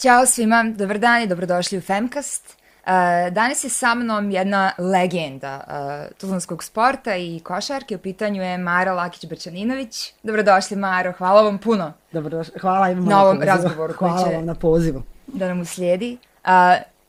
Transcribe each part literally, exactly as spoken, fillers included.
Ćao svima, dobar dan i dobrodošli u Femcast. Uh, danas je sa mnom jedna legenda uh, tuzlanskog sporta i košarke. U pitanju je Mara Lakić-Brčaninović. Dobrodošli, Maro, hvala vam puno. Dobrodošli, hvala im na ovom razgovoru koji hvala će vam na pozivu. Da nam uslijedi. Uh,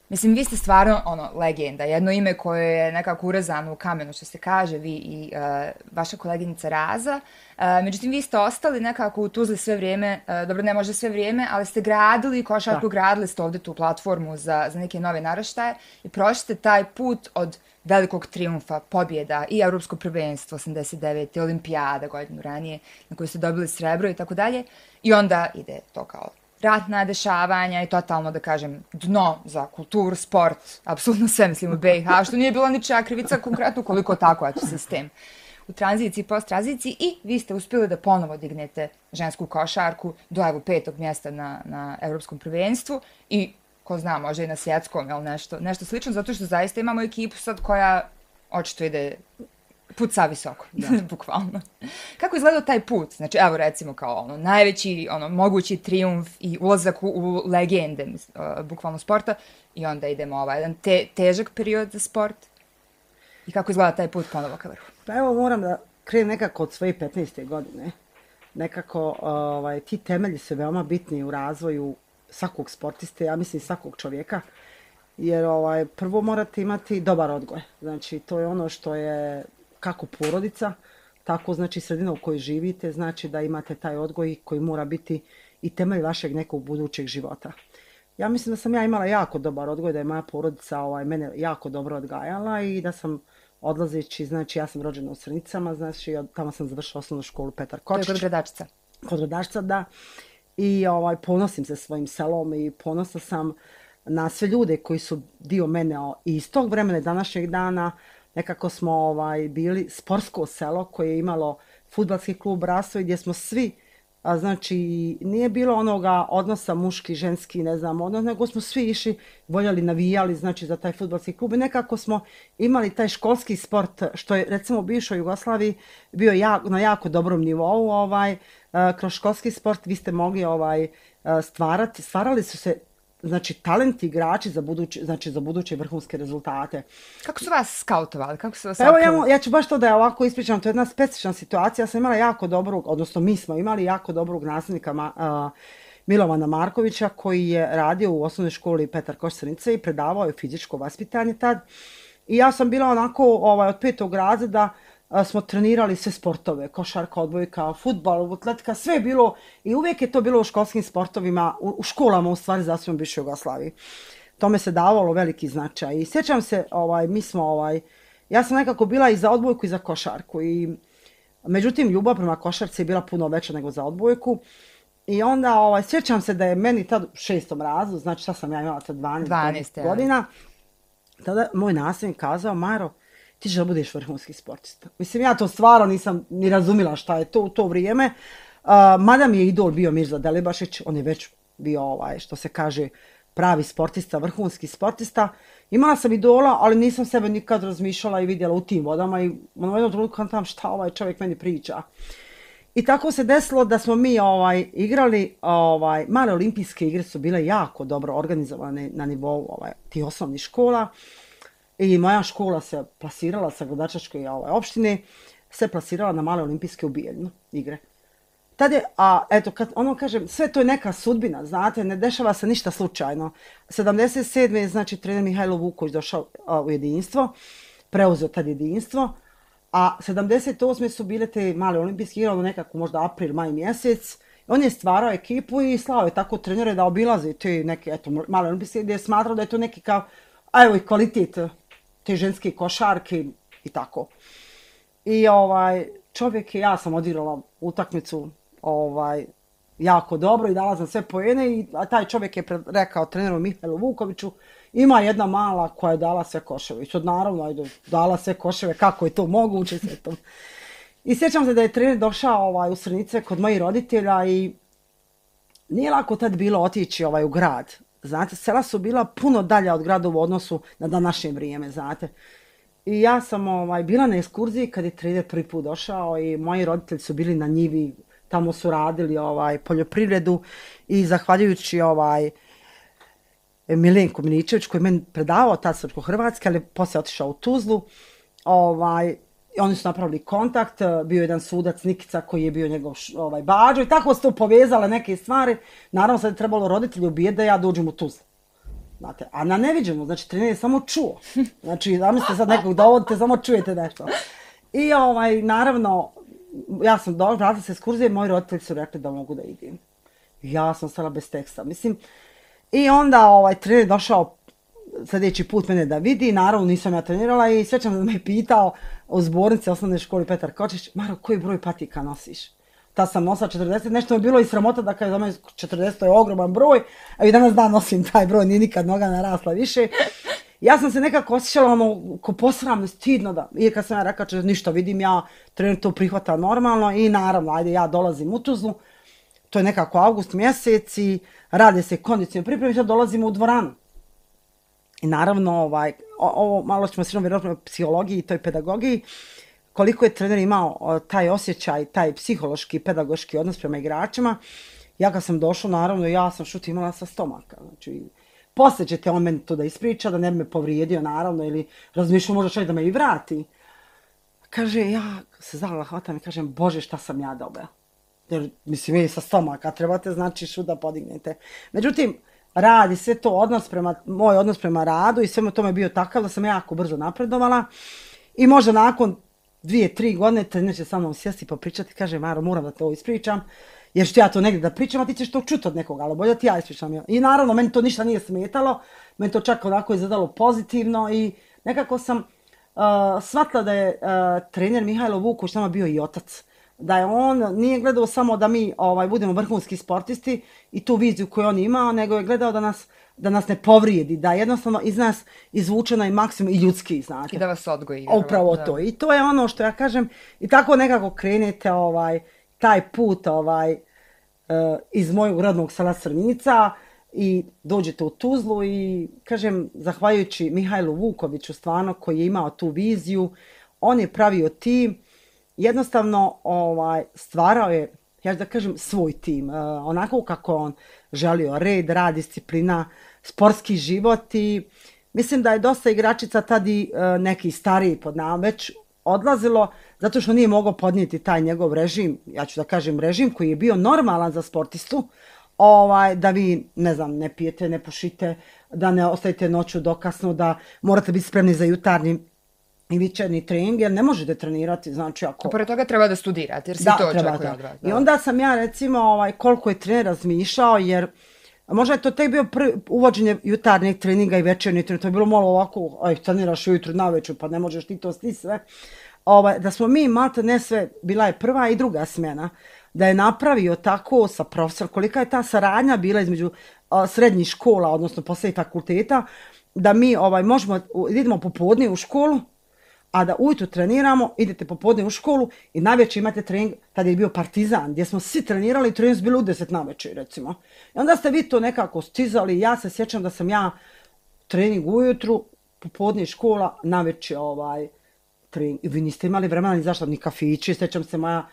mislim, vi ste stvarno ono, legenda, jedno ime koje je nekako urezano u kamenu, što se kaže, vi i uh, vaša koleginica Raza. Uh, međutim, vi ste ostali nekako u Tuzli sve vrijeme, uh, dobro, ne može sve vrijeme, ali ste gradili košarku, gradili ste ovdje tu platformu za, za neke nove naraštaje i prošli ste taj put od velikog trijumfa, pobjeda i Europsko prvenstvo osamdeset devete olimpijada godinu ranije na kojoj ste dobili srebro i tako dalje. I onda ide to kao ratna dešavanja i totalno, da kažem, dno za kulturu, sport, apsolutno sve mislim u B i H, što nije bila ničija krivica konkretno, koliko tako, eto, sistem u tranziciji, post-tranziciji i vi ste uspjeli da ponovo dignete žensku košarku do evo petog mjesta na, na Europskom prvenstvu i ko zna, možda i na svjetskom, jel, nešto, nešto slično, zato što zaista imamo ekipu sad koja očito ide puca visoko, bukvalno. Kako izgledao taj put? Znači, evo recimo kao ono, najveći, ono, mogući trijumf i ulazak u, u legende, uh, bukvalno sporta, i onda idemo ovaj jedan te, težak period za sport. I kako izgleda taj put ponovo ka vrhu? Pa evo, moram da krenem nekako od svoje petnaeste godine. Nekako, ovaj, ti temelji su veoma bitni u razvoju svakog sportiste, ja mislim svakog čovjeka, jer ovaj, prvo morate imati dobar odgoj. Znači, to je ono što je kako porodica, tako znači sredina u kojoj živite, znači da imate taj odgoj koji mora biti i temelj vašeg nekog budućeg života. Ja mislim da sam ja imala jako dobar odgoj, da je moja porodica ovaj, mene jako dobro odgajala i da sam odlazeći, znači ja sam rođena u Srnicama, znači tamo sam završila osnovnu školu Petar Kočić. To je kod Gradačca. Kod Gradačca, da. I ovaj, ponosim se svojim selom i ponosna sam na sve ljude koji su dio mene i iz tog vremena današnjeg dana. Nekako smo ovaj, bili sportsko selo koje je imalo fudbalski klub Rasoj gdje smo svi, a, znači nije bilo onoga odnosa muški, ženski, ne znam, odnos, nego smo svi išli, voljeli, navijali, znači za taj fudbalski klub i nekako smo imali taj školski sport što je recimo u bivšoj Jugoslaviji bio jako, na jako dobrom nivou, ovaj, a, kroz školski sport vi ste mogli ovaj, a, stvarati, stvarali su se znači talenti igrači za buduće, znači za buduće vrhunske rezultate. Kako su vas skautovali? Kako su vas Evo ja, ja ću baš to da ja ovako ispričam, to je jedna specifična situacija. Ja sam imala jako dobrog, odnosno mi smo imali jako dobrog nasljednika uh, Milovana Markovića koji je radio u osnovnoj školi Petar Kočić Srnice i predavao je fizičko vaspitanje tad. I ja sam bila onako ovaj, od petog razreda smo trenirali sve sportove, košarka, odbojka, fudbal, atletika, sve je bilo i uvijek je to bilo u školskim sportovima, u, u školama u stvari za svojom bivšoj Jugoslaviji. Tome se davalo veliki značaj i sjećam se, ovaj, mi smo, ovaj, ja sam nekako bila i za odbojku i za košarku i međutim ljubav prema košarci je bila puno veća nego za odbojku i onda ovaj, sjećam se da je meni tad u šestom razredu, znači šta sam ja imala tad dvanaest godina, tada moj nasljednik kazao, Maro, ti ćeš da budeš vrhunski sportista. Mislim, ja to stvarno nisam ni razumila šta je to u to vrijeme. Uh, mada mi je idol bio Mirza Delibašić, on je već bio, ovaj, što se kaže, pravi sportista, vrhunski sportista. Imala sam idola, ali nisam sebe nikad razmišljala i vidjela u tim vodama i u jednom trenutku kantam šta ovaj čovjek meni priča. I tako se desilo da smo mi ovaj, igrali, ovaj, male olimpijske igre su bile jako dobro organizovane na nivou ovaj, tih osnovnih škola. I moja škola se plasirala sa Gradačačke ovaj, opštine, se plasirala na male olimpijske u Bijeljnu igre. Tad je, a eto, kad ono kažem, sve to je neka sudbina, znate, ne dešava se ništa slučajno. sedamdeset sedme je, znači, trener Mihajlo Vuković došao a, u jedinstvo, preuzeo tad jedinstvo, a sedamdeset osme su bile te male olimpijske igre, ono nekako možda april, maj mjesec. On je stvarao ekipu i slao je tako trenere da obilaze te neke, eto, male olimpijske gdje je smatrao da je to neki kao, a evo i kvalitet te ženske košarke i tako. I ovaj čovjek, ja sam odigrala utakmicu ovaj jako dobro i dala sam sve poene i a taj čovjek je rekao treneru Mihajlu Vukoviću, ima jedna mala koja je dala sve koševe. I sad naravno, ajde, dala sve koševe, kako je to moguće sve to. I sjećam se da je trener došao ovaj, u Srnice kod mojih roditelja i nije lako tad bilo otići ovaj, u grad. Znate, sela su bila puno dalje od grada u odnosu na današnje vrijeme, znate. I ja sam ovaj, bila na ekskurziji kad je trener prvi put došao i moji roditelji su bili na njivi, tamo su radili ovaj, poljoprivredu i zahvaljujući ovaj, Milenko Miličević koji je meni predavao tad srpsko-hrvatski, ali poslije otišao u Tuzlu. Ovaj, oni su napravili kontakt, bio je jedan sudac Nikica koji je bio njegov ovaj, bađo i tako se to povezale neke stvari. Naravno sad je trebalo roditelji ubijeti da ja dođem u Tuzlu. Znate, a na neviđenu, znači trener je samo čuo. Znači, zamislite sad nekog dovodite, samo čujete nešto. I ovaj, naravno, ja sam došla, vratila se ekskurzije, moji roditelji su rekli da mogu da idem. Ja sam stala bez teksta, mislim. I onda ovaj, trener je došao sljedeći put mene da vidi, naravno nisam ja trenirala i svećam da me je pitao u zbornici osnovne školi Petar Kočić, Maro, koji broj patika nosiš? Ta sam nosila četrdeset, nešto je bilo i sramota da kada za mene četrdeset je ogroman broj, a i danas dan nosim taj broj, nije nikad noga narasla više. Ja sam se nekako osjećala ono, ko posramno, stidno da, i kad sam ja rekla če ništa vidim ja, trener to prihvata normalno i naravno, ajde ja dolazim u Tuzlu, to je nekako avgust mjesec i rade se kondicijne pripreme i sad dolazimo u dvoranu. I naravno, ovaj, ovo malo ćemo se vjerojatno o psihologiji i toj pedagogiji, koliko je trener imao taj osjećaj, taj psihološki, pedagoški odnos prema igračima. Ja kad sam došla, naravno, ja sam šut imala sa stomaka. Znači, poslije ćete on meni to da ispriča, da ne bi me povrijedio, naravno, ili razmišljao možda čak da me i vrati. Kaže, ja se zala hvatam i kažem, Bože, šta sam ja dobila? Jer, mislim, vi sa stomaka trebate, znači, šut da podignete. Međutim, radi sve to odnos prema, moj odnos prema radu i svemu tome je bio takav da sam jako brzo napredovala. I možda nakon dvije, tri godine trener će sa mnom sjesti i popričati, kaže, Maro, moram da to ispričam, jer ću ja to negdje da pričam, a ti ćeš to čuti od nekoga, ali bolje da ti ja ispričam. I naravno, meni to ništa nije smetalo, meni to čak onako izgledalo pozitivno i nekako sam uh, shvatila da je uh, trener Mihajlo Vuković nama bio i otac. Da je on nije gledao samo da mi ovaj, budemo vrhunski sportisti i tu viziju koju on imao, nego je gledao da nas, da nas ne povrijedi, da jednostavno iz nas izvuče na maksimum i ljudski, znate. I da vas odgoji. Upravo to. I to je ono što ja kažem, i tako nekako krenete ovaj, taj put ovaj, uh, iz mojeg rodnog sela Srnica i dođete u Tuzlu i kažem, zahvaljujući Mihajlu Vukoviću stvarno koji je imao tu viziju, on je pravio tim, jednostavno ovaj, stvarao je, ja da kažem, svoj tim, uh, onako kako on želio, red, rad, disciplina, sportski život i mislim da je dosta igračica tad i uh, neki stariji pod nama već odlazilo zato što nije mogao podnijeti taj njegov režim, ja ću da kažem režim koji je bio normalan za sportistu, ovaj, da vi, ne znam, ne pijete, ne pušite, da ne ostajete noću dokasno, da morate biti spremni za jutarnji i večernji trening, jer ne možete trenirati, znači ako... A pored toga treba da studirate, jer se da, to treba, očekuje da. od vas. I onda sam ja, recimo, ovaj, koliko je trener razmišljao, jer možda je to tek bio prvi, uvođenje jutarnjeg treninga i večernjeg treninga, to je bilo malo ovako, aj, treniraš ujutru na večer, pa ne možeš ti to sti sve. Ovaj, da smo mi, malte ne sve, bila je prva i druga smjena, da je napravio tako sa profesor, kolika je ta saradnja bila između a, srednjih škola, odnosno poslije fakulteta, da mi ovaj, možemo, idemo popodne u školu, a da ujutru treniramo, idete popodne u školu i najveće imate trening, tada je bio Partizan, gdje smo svi trenirali i trening su bili u deset najveće, recimo. I onda ste vi to nekako stizali, ja se sjećam da sam ja trening ujutru, popodne škola, najveće ovaj, trening. I vi niste imali vremena ni zašto, ni kafići, sjećam se moja,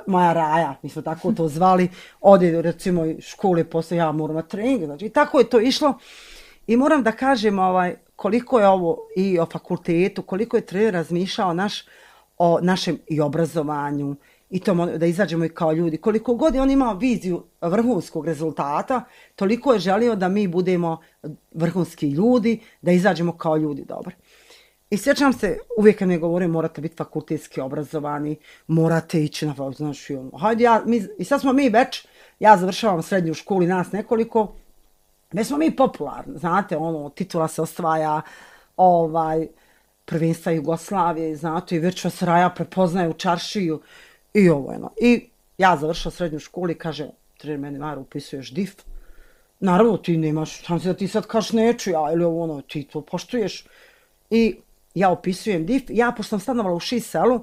moja Raja, mi smo tako to zvali, ode recimo škole, posle ja moram na trening, znači i tako je to išlo. I moram da kažem, ovaj, koliko je ovo i o fakultetu, koliko je trener razmišljao naš, o našem i obrazovanju, i to da izađemo i kao ljudi. Koliko god je on imao viziju vrhunskog rezultata, toliko je želio da mi budemo vrhunski ljudi, da izađemo kao ljudi dobro. I sjećam se, uvijek kad ne govorim, morate biti fakultetski obrazovani, morate ići na, znači, hajde ja, mi, i sad smo mi već, ja završavam srednju školu i nas nekoliko, već smo mi popularni, znate, ono, titula se osvaja, ovaj, prvenstva Jugoslavije, znate, i već vas Raja prepoznaje u čaršiju, i ovo, ono. I ja završila srednju školu i kaže, trener meni, Maro, upisuješ D I F. Naravno, ti nemaš šanse da ti sad kažeš neću ja, ili ovo, ono, ti to poštuješ. I ja upisujem D I F, ja, pošto sam stanovala u Šiselu,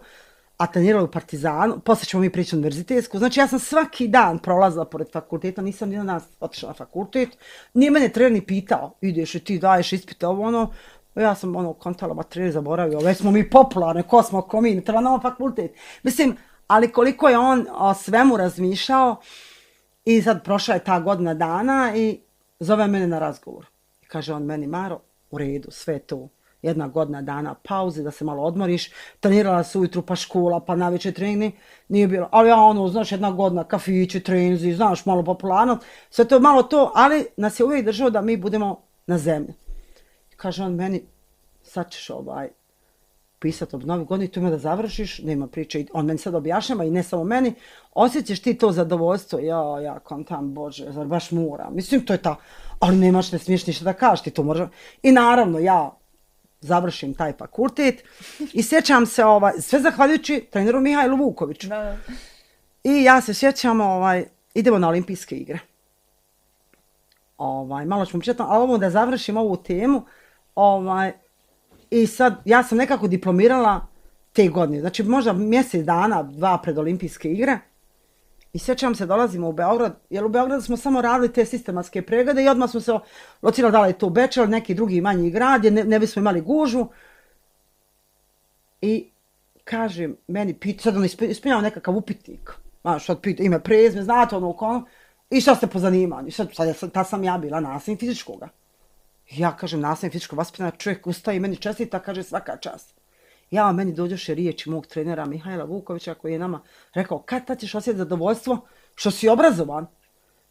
a trenirala u Partizanu, poslije ćemo mi prići univerzitetsku, znači ja sam svaki dan prolazila pored fakulteta, nisam ni na nas otišla na fakultet, nije mene trener ni pitao, ideš i ti daješ ispite, ovo ono, ja sam ono kontala, ba trener zaboravio, već smo mi popularne, ko smo, ko mi, ne treba nama fakultet. Mislim, ali koliko je on o svemu razmišljao i sad prošla je ta godina dana i zove mene na razgovor. Kaže on meni, Maro, u redu, sve to. Jedna godina dana pauze, da se malo odmoriš. Trenirala se ujutru pa škola, pa navečer trening, nije bilo. Ali ja ono, znaš, jedna godina, kafići, treninzi, znaš, malo popularno. Sve to malo to, ali nas je uvijek držao da mi budemo na zemlji. Kaže on meni, sad ćeš ovaj, pisati ob novi godini, tu ima da završiš, nema priče. On meni sad objašnjava i ne samo meni, osjećaš ti to zadovoljstvo. Ja, ja, kontam, Bože, zar baš moram. Mislim, to je ta, ali nemaš, ne smiješ ništa da kažeš, ti to možeš. I naravno, ja završim taj fakultet i sjećam se, ovaj, sve zahvaljujući treneru Mihajlu Vukoviću. Da, da. I ja se sjećam, ovaj, idemo na olimpijske igre. Ovaj, malo ćemo pričati, ali ovo da završim ovu temu, ovaj, i sad ja sam nekako diplomirala te godine, znači možda mjesec dana, dva pred olimpijske igre. I sjećam se, dolazimo u Beograd, jer u Beogradu smo samo radili te sistematske preglede i odmah smo se locirali da li je to Bečel, neki drugi manji grad, jer ne, ne bismo imali gužvu. I kažem, meni pita, sad on ispunjava nekakav upitnik, znaš, sad pita ime, prezme, znate ono ono, i šta ste po zanimanju? I sad, sad ta sam ja bila nastavnik fizičkoga. I ja kažem, nastavnik fizičkog vaspitanja, čovjek ustaje i meni čestita, kaže svaka čast. Ja, meni dođoše riječi mog trenera Mihajla Vukovića koji je nama rekao, kad tad ćeš osjetiti zadovoljstvo što si obrazovan?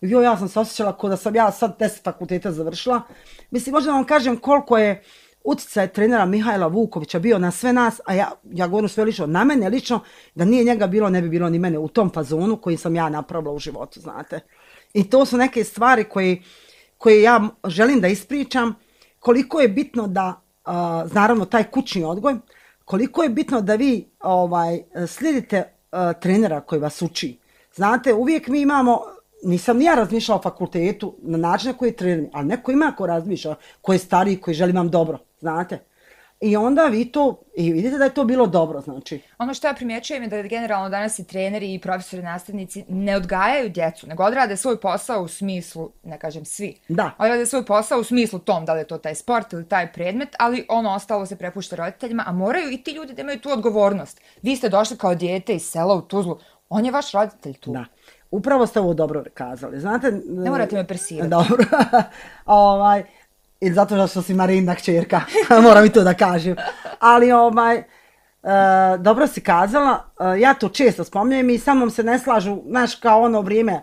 I jo, ja sam se osjećala kao da sam ja sad deset fakulteta završila. Mislim, možda vam kažem koliko je utjecaj trenera Mihajla Vukovića bio na sve nas, a ja, ja govorim sve lično, na mene lično, da nije njega bilo, ne bi bilo ni mene u tom fazonu koji sam ja napravila u životu, znate. I to su neke stvari koje, koje ja želim da ispričam, koliko je bitno da, uh, naravno, taj kućni odgoj, koliko je bitno da vi ovaj, slijedite uh, trenera koji vas uči. Znate, uvijek mi imamo, nisam ni ja razmišljala o fakultetu na način na koji je trener, ali neko ima ko razmišlja, ko je stariji, koji želi vam dobro, znate. I onda vi to, i vidite da je to bilo dobro, znači. Ono što ja primjećujem je da generalno danas i treneri i profesori, nastavnici ne odgajaju djecu, nego odrade svoj posao u smislu, ne kažem svi, da. Odrade svoj posao u smislu tom, da li je to taj sport ili taj predmet, ali ono ostalo se prepušta roditeljima, a moraju i ti ljudi da imaju tu odgovornost. Vi ste došli kao dijete iz sela u Tuzlu, on je vaš roditelj tu. Da. Upravo ste ovo dobro kazali, znate. Ne morate me persirati. Dobro. ovaj... I zato što si Marinina kćerka, moram i to da kažem. Ali ovaj, e, dobro si kazala, e, ja to često spominjem i sa mnom se ne slažu, znaš, kao ono vrijeme, e,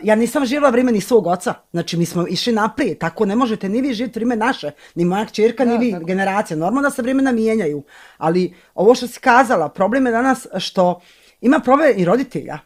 ja nisam živjela vrijeme ni svog oca, znači mi smo išli naprijed, tako ne možete ni vi živjeti vrijeme naše, ni moja kćerka, ni vi, generacija, normalno da se vremena mijenjaju, ali ovo što si kazala, problem je danas što ima problem i roditelja.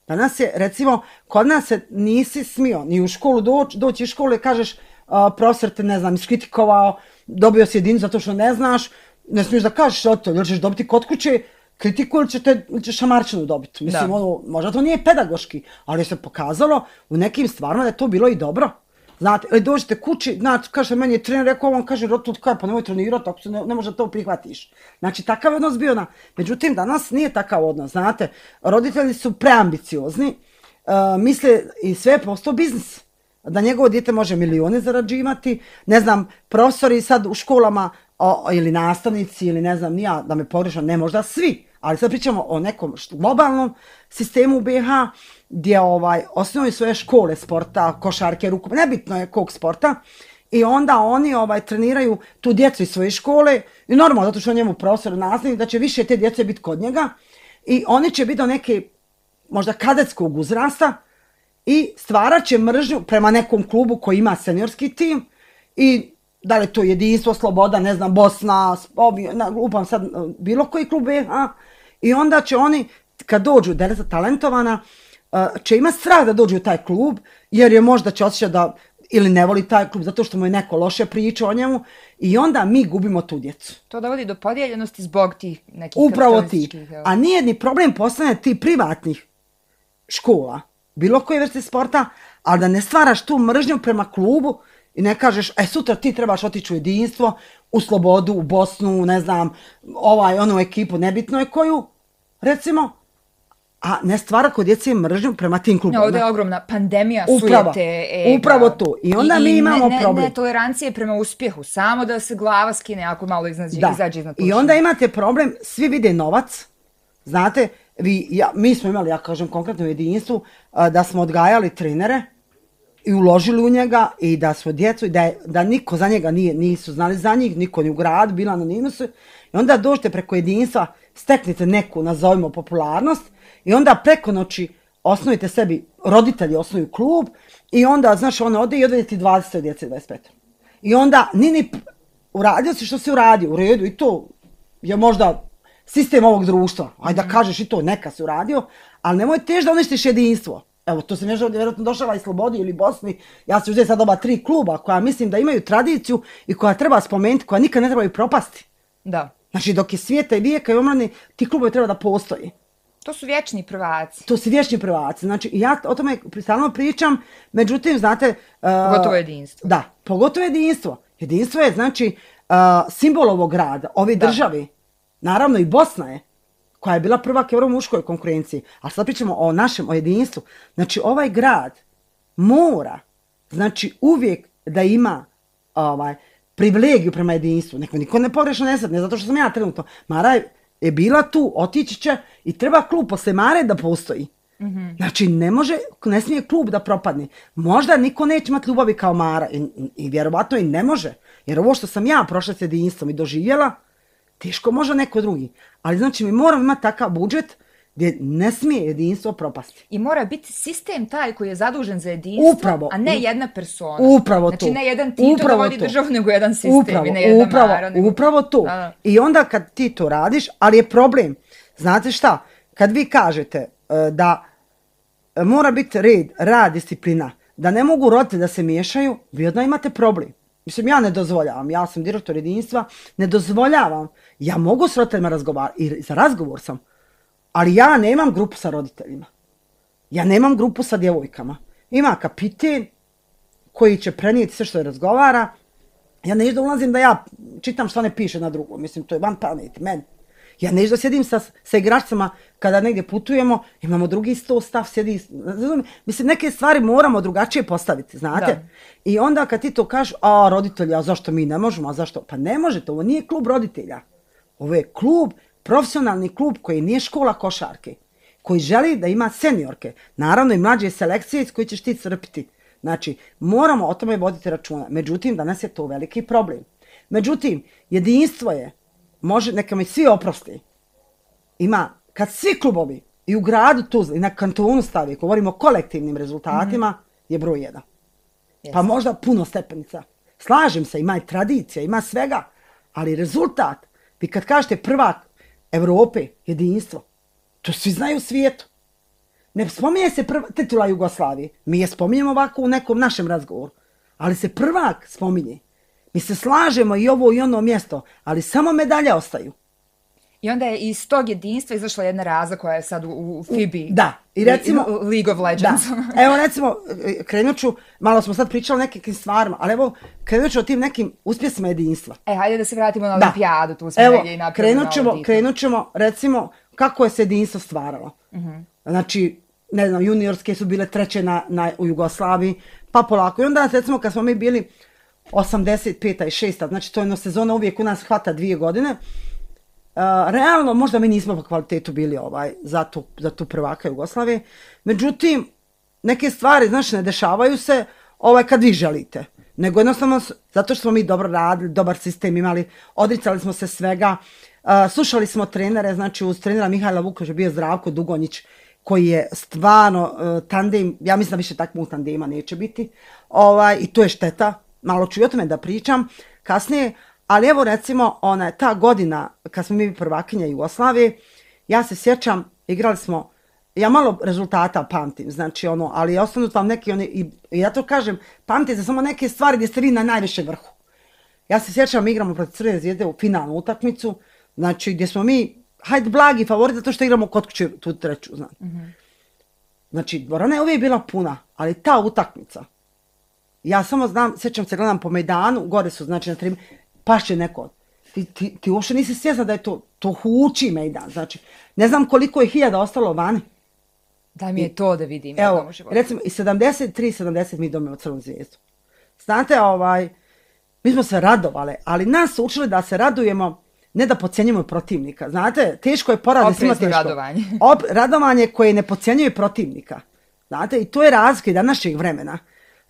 Danas je, recimo, kod nas se nisi smio ni u školu doći, doći iz škole i kažeš, Uh, profesor te, ne znam, iskritikovao, dobio si jedinicu zato što ne znaš, ne smiješ da kažeš o to, ili ćeš dobiti kod kuće kritiku ili, ćete, ili ćeš šamarčinu dobiti. Mislim, da. Ono, možda to nije pedagoški, ali se pokazalo u nekim stvarima da je to bilo i dobro. Znate, ili dođete kući, znači, kaže, meni je trener rekao, on kaže, rotu, kaj, pa nemoj trenirati, ako se ne, ne može da to prihvatiš. Znači, takav odnos bio na... Međutim, danas nije takav odnos, znate, roditelji su preambiciozni, uh, misle i sve je postao biznis. Da njegovo dijete može milijone zarađivati, ne znam, profesori sad u školama o, ili nastavnici ili ne znam, nija da me pogrešam, ne možda svi, ali sad pričamo o nekom globalnom sistemu u B i H gdje ovaj, osnovaju svoje škole sporta, košarke, rukom, nebitno je kog sporta, i onda oni ovaj, treniraju tu djecu iz svoje škole i normalno, zato što on njemu profesor nastavnik, da će više te djece biti kod njega i oni će biti do neke možda kadetskog uzrasta, i stvarat će mržnju prema nekom klubu koji ima seniorski tim i da li je to Jedinstvo, Sloboda, ne znam, Bosna, upam sad bilo koji klub je, a? I onda će oni, kad dođu, djeca talentovana, će imati strah da dođu u taj klub, jer je možda će osjećati da ili ne voli taj klub zato što mu je neko loše priča o njemu i onda mi gubimo tu djecu. To dovodi do podijeljenosti zbog tih nekih upravo ti. A nije ni problem postane ti privatnih škola, bilo koje vrste sporta, ali da ne stvaraš tu mržnju prema klubu i ne kažeš, e sutra ti trebaš otići u Jedinstvo, u Slobodu, u Bosnu, ne znam, ovaj, onu ekipu, nebitno je koju, recimo, a ne stvara kod djece mržnju prema tim klubima. Ovdje je ogromna pandemija upravo, sujete, ega. Upravo to. I onda I, mi imamo ne, ne, problem. Ne tolerancije prema uspjehu, samo da se glava skine ako malo izađe, da. izađe iznad površine. I onda imate problem, svi vide novac, znate, vi, ja, mi smo imali, ja kažem konkretno u Jedinstvu, da smo odgajali trenere i uložili u njega i da smo djecu, i da, je, da niko za njega nije, nisu znali za njih, niko ni u gradu, bila anonimus. I onda dođete preko jedinstva, steknete neku, nazovimo, popularnost i onda preko noći osnovite sebi, roditelji osnuju klub i onda, znaš, ono ode i odvede ti dvadeset djece, dvadeset pet. I onda, nini, uradio si što si uradio, u redu, i to je možda sistem ovog društva, ajde da kažeš i to, neka si uradio, ali nemoj tež da uništiš jedinstvo. Evo, to se nešto vjerojatno došla i Slobodi ili Bosni, ja sam uzeti sad oba tri kluba koja mislim da imaju tradiciju i koja treba spomenuti, koja nikad ne trebaju propasti. Da. Znači, dok je svijeta i vijeka i omrani, ti klubovi treba da postoji. To su vječni prvaci. To su vječni prvaci. Znači, ja o tome stalno pričam, međutim, znate... Uh, pogotovo jedinstvo. Da, pogotovo jedinstvo. Jedinstvo je, znači, uh, simbol ovog grada, ove da. državi. Naravno, i Bosna je, koja je bila prvak u muškoj konkurenciji. Ali sad pričamo o našem, o jedinstvu. Znači, ovaj grad mora, znači, uvijek da ima ovaj, privilegiju prema jedinstvu. Neko niko ne pogrešno ne sad, ne zato što sam ja trenutno. Mara je, je bila tu, otići će i treba klub posle Mare da postoji. Mm-hmm. Znači, ne može, ne smije klub da propadne. Možda niko neće imati ljubavi kao Mara i, i, i vjerovatno i ne može. Jer ovo što sam ja prošla s jedinstvom i doživjela, teško može neko drugi. Ali znači mi moramo imati takav budžet gdje ne smije jedinstvo propasti. I mora biti sistem taj koji je zadužen za jedinstvo, upravo, a ne jedna persona. Upravo to. Znači ne jedan Tito upravo da vodi to. Državu, nego jedan sistem upravo, i ne jedna upravo, Mara. Nego... Upravo to. Da, da. I onda kad ti to radiš, ali je problem. Znate šta? Kad vi kažete uh, da mora biti red, rad, disciplina, da ne mogu roditelji da se miješaju, vi odmah imate problem. Mislim, ja ne dozvoljavam, ja sam direktor jedinstva, ne dozvoljavam. Ja mogu s roditeljima razgovarati, i za razgovor sam, ali ja nemam grupu sa roditeljima. Ja nemam grupu sa djevojkama. Ima kapiten koji će prenijeti sve što je razgovara. Ja neću da ulazim da ja čitam što ne piše na drugo. Mislim, to je van pameti, meni. Ja neću da sjedim sa, sa igračcama kada negdje putujemo, imamo drugi sto stav, sjedi, mislim, neke stvari moramo drugačije postaviti, znate? Da. I onda kad ti to kažeš, a roditelji, a zašto mi ne možemo, a zašto? Pa ne možete, ovo nije klub roditelja. Ovo je klub, profesionalni klub koji nije škola košarke, koji želi da ima seniorke, naravno i mlađe selekcije iz koje ćeš ti crpiti. Znači, moramo o tome voditi računa. Međutim, danas je to veliki problem. Međutim, jedinstvo je, može, neka mi svi oprosti, ima, kad svi klubovi i u gradu Tuzli i na kantonu stavi, govorimo o kolektivnim rezultatima, mm-hmm. je broj jedan. Yes. Pa možda puno stepenica. Slažem se, ima i tradicija, ima svega, ali rezultat, vi kad kažete prvak Evrope, jedinstvo, to svi znaju u svijetu. Ne spominje se prva, titula Jugoslavije, mi je spominjemo ovako u nekom našem razgovoru, ali se prvak spominje. Mi se slažemo i ovo i ono mjesto, ali samo medalje ostaju. I onda je iz tog jedinstva izašla jedna raza koja je sad u, u F I B I. Da. I recimo, League of Legends. Da. Evo recimo, krenut ću, malo smo sad pričali o nekim stvarima, ali evo krenut ću o tim nekim uspjesima jedinstva. E, hajde da se vratimo na olimpijadu, tu smo evo, negdje i napravili krenut ćemo, krenut ćemo, recimo, kako je se jedinstvo stvaralo. Uh-huh. Znači, ne znam, juniorske su bile treće na, na, u Jugoslaviji, pa polako. I onda, recimo, kad smo mi bili osamdeset peta i šesta, znači to je jedna sezona, uvijek u nas hvata dvije godine. Uh, realno, možda mi nismo po kvalitetu bili ovaj, za, tu, za tu prvaka Jugoslavije. Međutim, neke stvari, znači, ne dešavaju se ovaj, kad vi želite. Nego jednostavno, zato što smo mi dobro radili, dobar sistem imali, odricali smo se svega, uh, slušali smo trenere, znači uz trenera Mihajla Vukovića bio Zdravko Dugonjić, koji je stvarno uh, tandem, ja mislim da više takvog tandema neće biti, ovaj, i to je šteta. Malo ću i o tome da pričam kasnije, ali evo recimo ona, ta godina kad smo mi prvakinja Jugoslavije, ja se sjećam, igrali smo, ja malo rezultata pamtim, znači ono, ali ostanu vam neki oni, i, i ja to kažem, pamtite samo neke stvari gdje ste vi na najviše vrhu. Ja se sjećam, igramo protiv Crvene Zvijezde u finalnu utakmicu, znači gdje smo mi, hajde blagi favorit zato što igramo kod kuće tu treću, znači. Mm-hmm. Znači, dvorana je uvijek bila puna, ali ta utakmica, ja samo znam, sjećam se, gledam po Mejdanu, gore su, znači, na tri, pašće neko. Ti, ti, ti uopšte nisi svjesna da je to, to huči Mejdan, znači, ne znam koliko je hiljada ostalo vani. Daj mi je to da vidim. Evo, recimo, i sedamdeset tri sedamdeset mi dobijemo Crvenu Zvijezdu. Znate, ovaj, mi smo se radovali, ali nas su učili da se radujemo, ne da podcjenjujemo protivnika. Znate, teško je poraz, svima teško. Radovanje. Op, radovanje koje ne podcjenjuje protivnika. Znate, i to je razlika današnjeg vremena.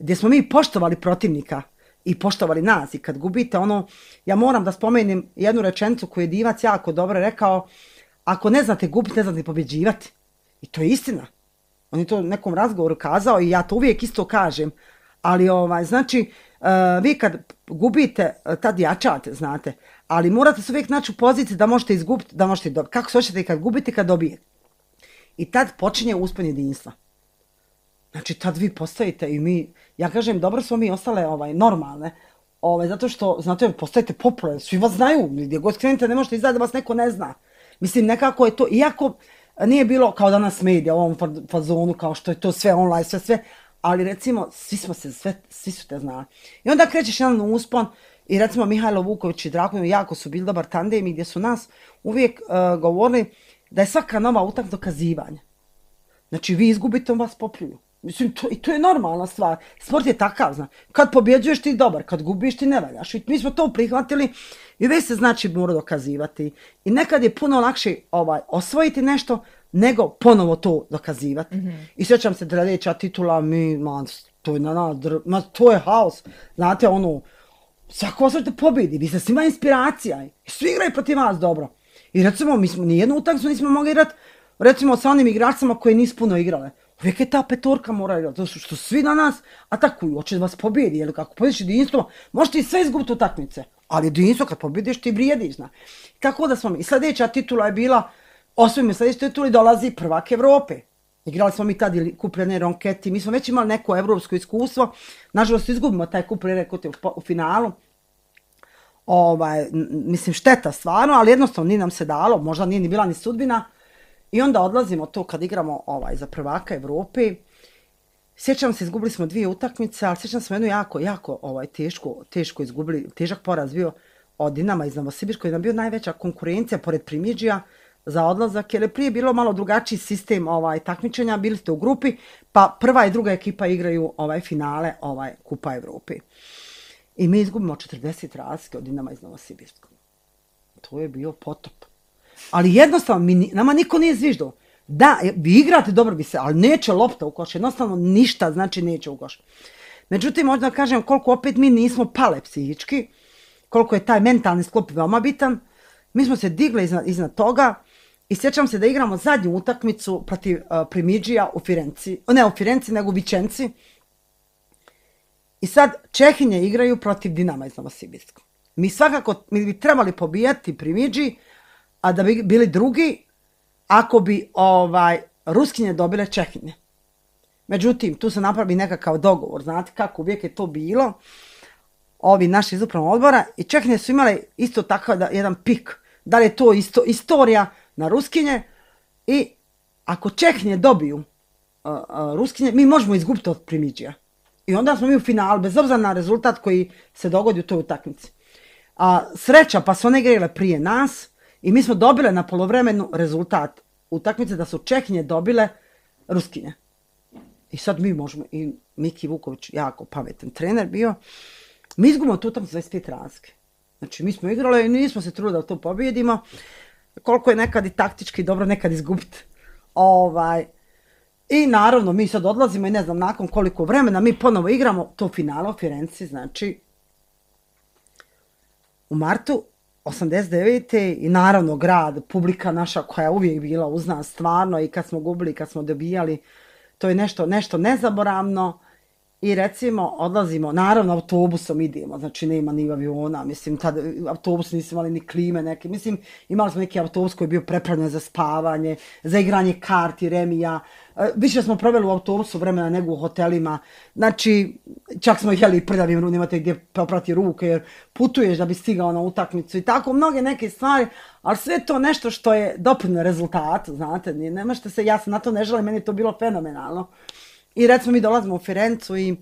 gdje smo mi poštovali protivnika i poštovali nas. I kad gubite ono, ja moram da spomenem jednu rečenicu koju je Divac jako dobro rekao, ako ne znate gubiti, ne znate pobjeđivati. I to je istina. On je to u nekom razgovoru kazao i ja to uvijek isto kažem. Ali ovaj, znači, uh, vi kad gubite, tad jačate, znate, ali morate se uvijek naći u poziciji da možete izgubiti, da možete dobiti. Kako se hoćete kad gubite, kad dobijete. I tad počinje uspon jedinstva. Znači, tad vi postajete i mi, ja kažem, dobro smo mi ostale ovaj, normalne, ovaj, zato što, znate, postajete popularni, svi vas znaju, gdje god skrenete ne možete izaći da vas neko ne zna. Mislim, nekako je to, iako nije bilo kao danas medija u ovom fazonu, kao što je to sve online, sve, sve, ali recimo, svi smo se, sve, svi su te znali. I onda krećeš jedan uspon i recimo Mihajlo Vuković i Drago jako su bili dobar tandem i gdje su nas uvijek uh, govorili da je svaka nova utak dokazivanja. Znači, vi izgubite, on vas popljuju. Mislim, to, i to je normalna stvar. Sport je takav, zna. Kad pobjeđuješ ti dobar, kad gubiš ti ne valjaš. I mi smo to prihvatili i već se znači mora dokazivati. I nekad je puno lakše ovaj, osvojiti nešto nego ponovo to dokazivati. Mm-hmm. I sjećam se drleća titula, mi, man, to je na nas, ma, to je haos. Znate, ono, svako osvojite pobjedi, vi ste svima inspiracija. I svi igraju protiv vas dobro. I recimo, mi smo nijednu utakmicu nismo mogli igrati, recimo sa onim igračima koji nisu puno igrale. Uvijek je ta petorka mora igrati, zato što svi na nas atakuju, hoće da vas pobjedi, jer kako pobjediš jedinstvo, možete i sve izgubiti utakmice, ali jedinstvo kad pobjediš ti vrijediš, zna. Tako da smo mi, i sljedeća titula je bila, osvojimo sljedeći titula i dolazi prvak Evrope. Igrali smo mi tad kup Rene Ronketi, mi smo već imali neko evropsko iskustvo, nažalost izgubimo taj kup Rene Ronketi u, u finalu. Ovaj, mislim, šteta stvarno, ali jednostavno nije nam se dalo, možda nije ni bila ni sudbina. I onda odlazimo to kad igramo ovaj, za prvaka Evrope. Sjećam se, izgubili smo dvije utakmice, ali sjećam se jednu jako, jako ovaj, teško, teško izgubili, težak poraz bio od Dinama iz Novosibirska, koji nam bio najveća konkurencija pored Primidžija za odlazak, jer je prije bilo malo drugačiji sistem ovaj, takmičenja, bili ste u grupi, pa prva i druga ekipa igraju ovaj, finale ovaj, Kupa Evrope. I mi izgubimo četrdeset razlike od Dinama iz Novosibirskog. To je bio potop. Ali jednostavno, mi, nama niko nije zviždao. Da, vi igrate, dobro bi se, ali neće lopta u koš. Jednostavno ništa, znači neće u koš. Međutim, možda kažem koliko opet mi nismo pale psihički, koliko je taj mentalni sklop veoma bitan. Mi smo se digli iznad, iznad toga i sjećam se da igramo zadnju utakmicu protiv uh, Primidžija u Firenci. Ne u Firenci, nego u Vičenci. I sad Čehinje igraju protiv Dinama iz Novosibirskog. Mi svakako, mi bi trebali pobijati Primidži, a da bi bili drugi, ako bi ovaj, Ruskinje dobile Čehinje. Međutim, tu se napravi nekakav dogovor, znate kako uvijek je to bilo, ovi naši iz upravnog odbora, i Čehinje su imali isto takav da, jedan pik, da li je to isto, istorija na Ruskinje, i ako Čehinje dobiju uh, uh, Ruskinje, mi možemo izgubiti od Primidžija. I onda smo mi u finalu, bez obzira na rezultat koji se dogodi u toj utakmici. A sreća, pa su one igrale prije nas, i mi smo dobile na polovremenu rezultat utakmice da su Čehinje dobile Ruskinje. I sad mi možemo, i Miki Vuković, jako pametan trener bio, mi izgubimo tu utakmicu dvadeset pet razlike. Znači mi smo igrali i nismo se trudili da to pobjedimo, koliko je nekad i taktički dobro, nekad izgubiti. Ovaj, I naravno mi sad odlazimo i ne znam nakon koliko vremena mi ponovo igramo to finale u Firenci, znači u martu osamdeset devete. I naravno grad, publika naša koja je uvijek bila uz nas stvarno, i kad smo gubili, i kad smo dobijali, to je nešto, nešto nezaboravno. I recimo odlazimo, naravno autobusom idemo, znači nema ni aviona, mislim tad autobus nisu imali ni klime neke, mislim imali smo neki autobus koji je bio prepravljen za spavanje, za igranje karti, remija, više smo proveli u autobusu vremena nego u hotelima, znači čak smo jeli prljavim rukom, nemate gdje poprati ruke jer putuješ da bi stigao na utakmicu i tako mnoge neke stvari, ali sve to nešto što je doprinjelo rezultatu, znate, ne možete se, ja se na to ne želim, meni je to bilo fenomenalno. I recimo mi dolazimo u Firencu i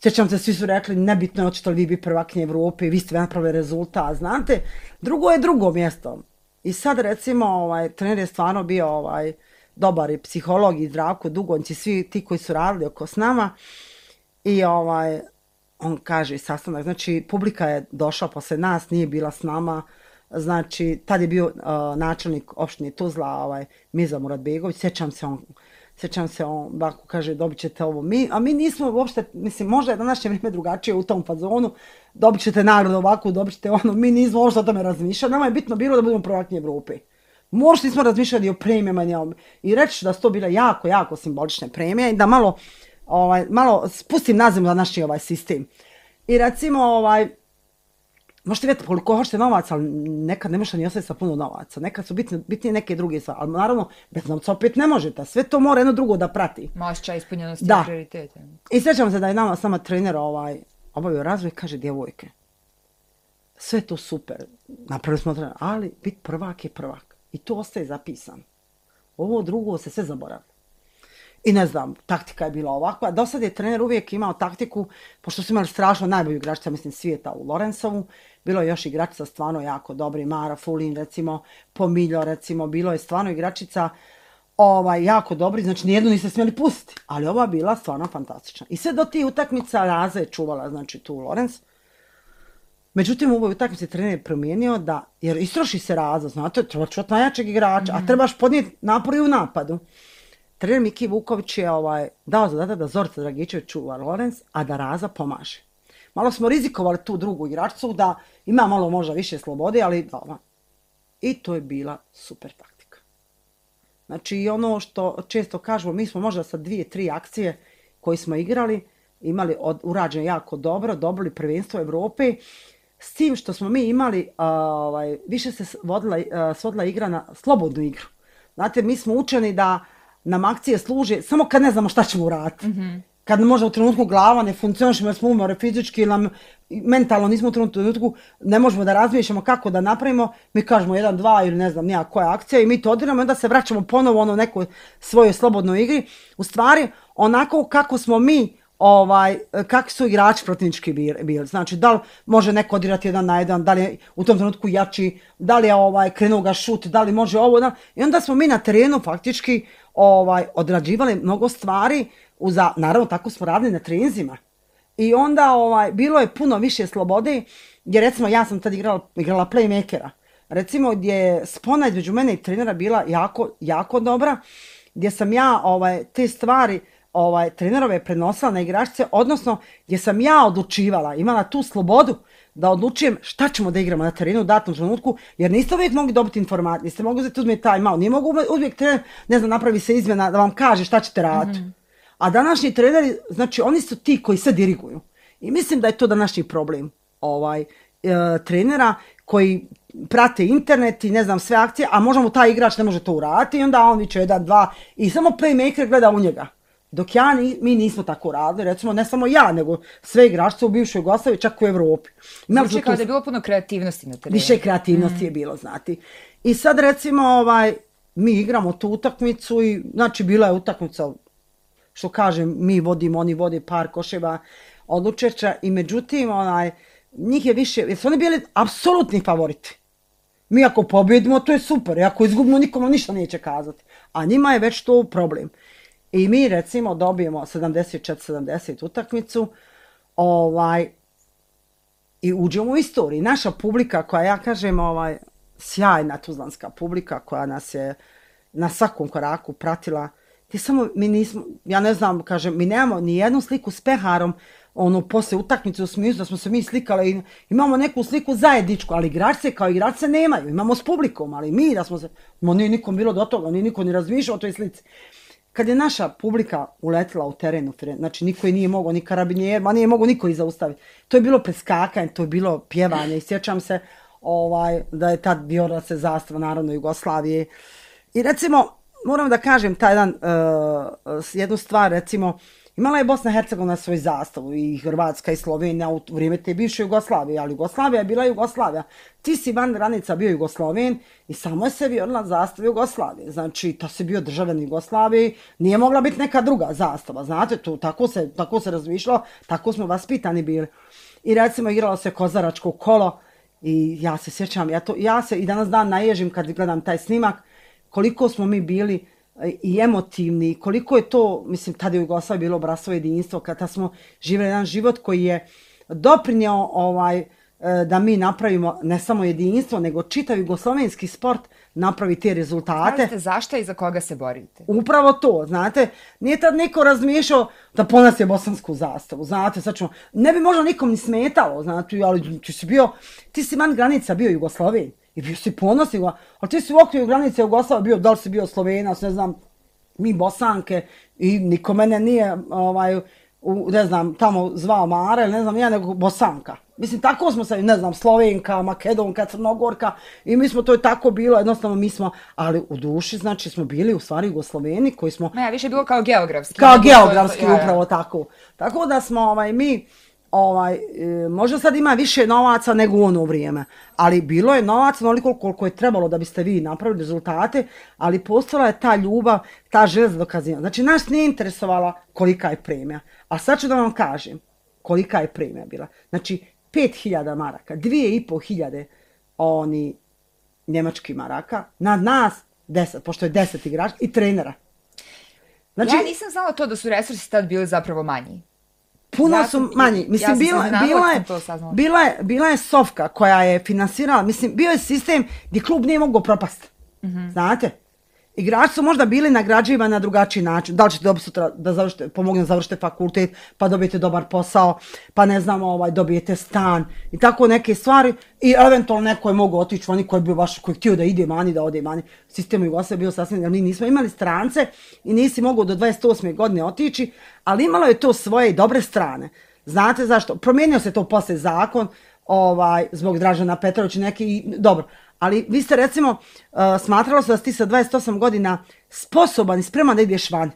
sjećam se, svi su rekli nebitno je hoćete li vi biti prvakinje Evrope, vi ste napravili rezultat, znate, drugo je drugo mjesto. I sad recimo ovaj, trener je stvarno bio ovaj, dobar i psiholog i Zdravko Dugonć i svi ti koji su radili oko s nama. I ovaj, on kaže sastanak, znači publika je došla posle nas, nije bila s nama, znači tad je bio uh, načelnik opštine Tuzla, ovaj, Miza Muratbegović, sjećam se on, Sjećam se, on bako kaže, dobit ćete ovo. Mi, a mi nismo uopšte, mislim, možda je današnje vrijeme drugačije u tom fazonu, dobit ćete nagradu ovako, dobit ćete ono, mi nismo uopšte o tome razmišljali, nama je bitno bilo da budemo prvaki Evrope. Možda nismo razmišljali o premijama i reći da su to bile jako, jako simbolične premije i da malo, ovaj, malo spustim na zemlju današnji ovaj sistem. I recimo, ovaj, možete vidjeti koliko hoćete novaca, ali nekad ne možete ni ostati sa puno novaca. Nekad su bitne, bitnije neke druge stvari, ali naravno, bez novca opet ne možete. Sve to mora jedno drugo da prati. Osjećaj ispunjenosti i prioritete. I sjećam se da je nama sama trener ovaj, obavio razvoj, kaže, djevojke, sve to super, napravili smo trener, ali bit prvak je prvak. I to ostaje zapisano. Ovo drugo se sve zaboravlja. I ne znam, taktika je bila ovakva. Do sad je trener uvijek imao taktiku, pošto su imali strašno najbolju igračica, mislim, svijeta u Lorenzovu, bilo je još igračica stvarno jako dobri, Mara Fulin, recimo, Pomiljo, recimo, bilo je stvarno igračica ovaj, jako dobri, znači nijednu niste smjeli pustiti, ali ova bila stvarno fantastična. I sve do tih utakmica Raza je čuvala, znači, tu Lorenz. Međutim, u ovoj utakmici trener je promijenio da, jer istroši se Raza, znate, treba čuvati najjačeg igrača, mm-hmm. a trebaš podnijeti napor i u napadu. Trener Miki Vuković je ovaj, dao zadatak da Zorica Dragičević čuva Lorenz, a da Raza pomaže. Malo smo rizikovali tu drugu igračicu da ima malo možda više slobode, ali dobro. I to je bila super taktika. Znači i ono što često kažemo, mi smo možda sa dvije, tri akcije koje smo igrali, imali od, urađene jako dobro, dobili prvenstvo Evrope, s tim što smo mi imali, a, ovaj, više se vodila, a, svodila igra na slobodnu igru. Znate, mi smo učeni da nam akcije služe samo kad ne znamo šta ćemo uraditi. Mm-hmm. Kad možda u trenutku glava ne funkcionišemo jer smo umore fizički ili nam mentalno nismo u trenutku, ne možemo da razmišljamo kako da napravimo, mi kažemo jedan, dva ili ne znam nija koja akcija i mi to odiramo i onda se vraćamo ponovo ono nekoj svojoj slobodnoj igri. U stvari, onako kako smo mi, ovaj, kakvi su igrači protivnički bili. Znači, da li može neko odirati jedan na jedan, da li je u tom trenutku jači, da li je ovaj, krenuo ga šut, da li može ovo. Da... I onda smo mi na terenu faktički ovaj, odrađivali mnogo stvari, uza, naravno tako smo radili na treninzima. I onda ovaj, bilo je puno više slobode, jer recimo ja sam tad igrala, igrala playmakera. Recimo gdje je spona između mene i trenera bila jako, jako dobra, gdje sam ja ovaj, te stvari ovaj, trenerove prenosila na igračice, odnosno gdje sam ja odlučivala, imala tu slobodu da odlučujem šta ćemo da igramo na terenu u datom trenutku, jer niste uvijek mogli dobiti informacije, niste mogli uzeti uzmeti time out, nije mogu uvijek trener, ne znam, napravi se izmjena da vam kaže šta ćete raditi. Mm-hmm. A današnji treneri, znači oni su ti koji se diriguju. I mislim da je to današnji problem ovaj, e, trenera koji prate internet i ne znam sve akcije, a možemo taj igrač ne može to uraditi i onda on viče jedan, dva i samo playmaker gleda u njega. Dok ja, mi nismo tako radili, recimo ne samo ja, nego sve igračice u bivšoj Jugoslaviji, čak u Evropi. Znači kao da je bilo puno kreativnosti na terenu. Više kreativnosti mm. je bilo, znati. I sad recimo ovaj, mi igramo tu utakmicu i znači bila je utakmica, što kažem, mi vodimo, oni vode par koševa od učešća i međutim, onaj, njih je više, jer su oni bili apsolutni favoriti. Mi ako pobjedimo, to je super, i ako izgubimo, nikomu ništa neće kazati. A njima je već to problem. I mi recimo dobijemo sedamdeset četiri sedamdeset utakmicu ovaj, i uđemo u istoriju. Naša publika koja, ja kažem, ovaj, sjajna tuzlanska publika koja nas je na svakom koraku pratila, ti samo, mi nismo, ja ne znam, kažem, mi nemamo ni jednu sliku s peharom, ono, posle utakmice u smislu da smo se mi slikali i imamo neku sliku zajedničku, ali igračice kao igračice nemaju, imamo s publikom, ali mi da smo se, no nije nikom bilo do toga, nije niko ni razmišljao o toj slici. Kad je naša publika uletila u terenu, znači niko je nije mogao, ni karabinjer, ma nije mogao niko i zaustaviti. To je bilo preskakanje, to je bilo pjevanje i sjećam se ovaj, da je tad vijorila se zastava Narodne Jugoslavije. I recimo, moram da kažem taj jedan, uh, jednu stvar, recimo, imala je Bosna i Hercegovina svoj zastavu i Hrvatska i Slovenija u vrijeme te bivše Jugoslavije, ali Jugoslavija je bila Jugoslavija. Ti si van granica bio Jugosloven i samo je se vijorila zastava Jugoslavije. Znači, to si bio državljan Jugoslavije, nije mogla biti neka druga zastava. Znate, to, tako se, tako se razmišljalo, tako smo vaspitani bili. I recimo, igralo se kozaračko kolo i ja se sjećam, ja, to, ja se i danas dan naježim kad gledam taj snimak, koliko smo mi bili i emotivni, koliko je to, mislim, tada je u Jugoslaviji bilo bratstvo jedinstvo, kada smo živjeli jedan život koji je doprinio ovaj, da mi napravimo ne samo jedinstvo, nego čitav jugoslovenski sport napravi te rezultate. Znate zašto i za koga se borite? Upravo to, znate, nije tad niko razmišljao da ponosi bosansku zastavu, znate, sad ćemo, ne bi možda nikom ni smetalo, znate, ali ti si bio, ti si van granica bio Jugosloven i bio si ponosni, ali ti si u okviru granice Jugoslavije bio, da li si bio Slovenac, ne znam, mi Bosanke i niko mene nije, ovaj, u, ne znam, tamo zvao Mara ili ne znam, ja nego Bosanka. Mislim, tako smo se, ne znam, Slovenka, Makedonka, Crnogorka i mi smo, to je tako bilo, jednostavno mi smo, ali u duši, znači, smo bili u stvari Jugosloveni koji smo... Ne, više je bilo kao geografski. Kao geografski, to, upravo ja, ja. tako. Tako da smo, ovaj, mi, ovaj, e, možda sad ima više novaca nego u ono vrijeme, ali bilo je novaca onoliko koliko je trebalo da biste vi napravili rezultate, ali postojala je ta ljubav, ta želja za dokazivanje. Znači, nas nije interesovala kolika je premija, a sad ću da vam kažem kolika je premija bila. Znači, pet hiljada maraka, dvije i pol hiljade oni njemački maraka, na nas deset, pošto je deset igrača i trenera. Znači, ja nisam znala to da su resursi tad bili zapravo manji. Puno ja su manji. Mislim, ja bila, bila, je, bila, je, bila je Sofka koja je finansirala, mislim, bio je sistem gdje klub nije mogao propasti. Mm-hmm. Znate? Igrači su možda bili nagrađivani na drugačiji način. Da li ćete dobiti sutra da završite, pomogne da završite fakultet, pa dobijete dobar posao, pa ne znam, ovaj, dobijete stan i tako neke stvari. I eventualno neko je mogao otići, oni koji je bio baš, koji je htio da ide mani, da ode mani. Sistem Jugoslavije bio sasvim, jer mi nismo imali strance i nisi mogao do dvadeset osme godine otići, ali imalo je to svoje i dobre strane. Znate zašto? Promijenio se to posle zakon, ovaj, zbog Dražana Petrovića neki i dobro. Ali vi ste recimo, uh, smatralo se da ti sa dvadeset osam godina sposoban i spreman da ideš van.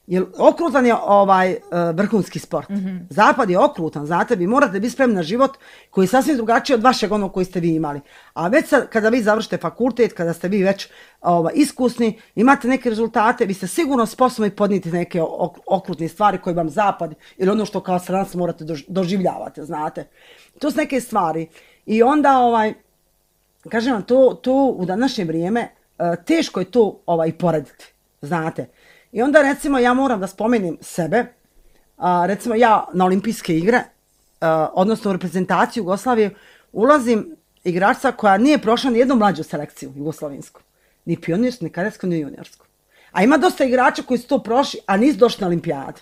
Jer okrutan je ovaj uh, vrhunski sport. Mm-hmm. Zapad je okrutan, znate, vi morate biti spremni na život koji je sasvim drugačiji od vašeg onog koji ste vi imali. A već sad, kada vi završite fakultet, kada ste vi već ovaj, iskusni, imate neke rezultate, vi ste sigurno sposobni podnijeti neke okrutne stvari koje vam zapad ili ono što kao stranac morate doživljavati, znate. To su neke stvari. I onda, ovaj, kažem vam, to, to u današnje vrijeme uh, teško je to ovaj, porediti, znate. I onda recimo ja moram da spomenem sebe, uh, recimo ja na olimpijske igre, uh, odnosno u reprezentaciju Jugoslavije, ulazim igrača koja nije prošla ni jednu mlađu selekciju jugoslovensku. Ni pionirsku, ni kadetsku, ni juniorsku. A ima dosta igrača koji su to prošli, a nisu došli na olimpijadu.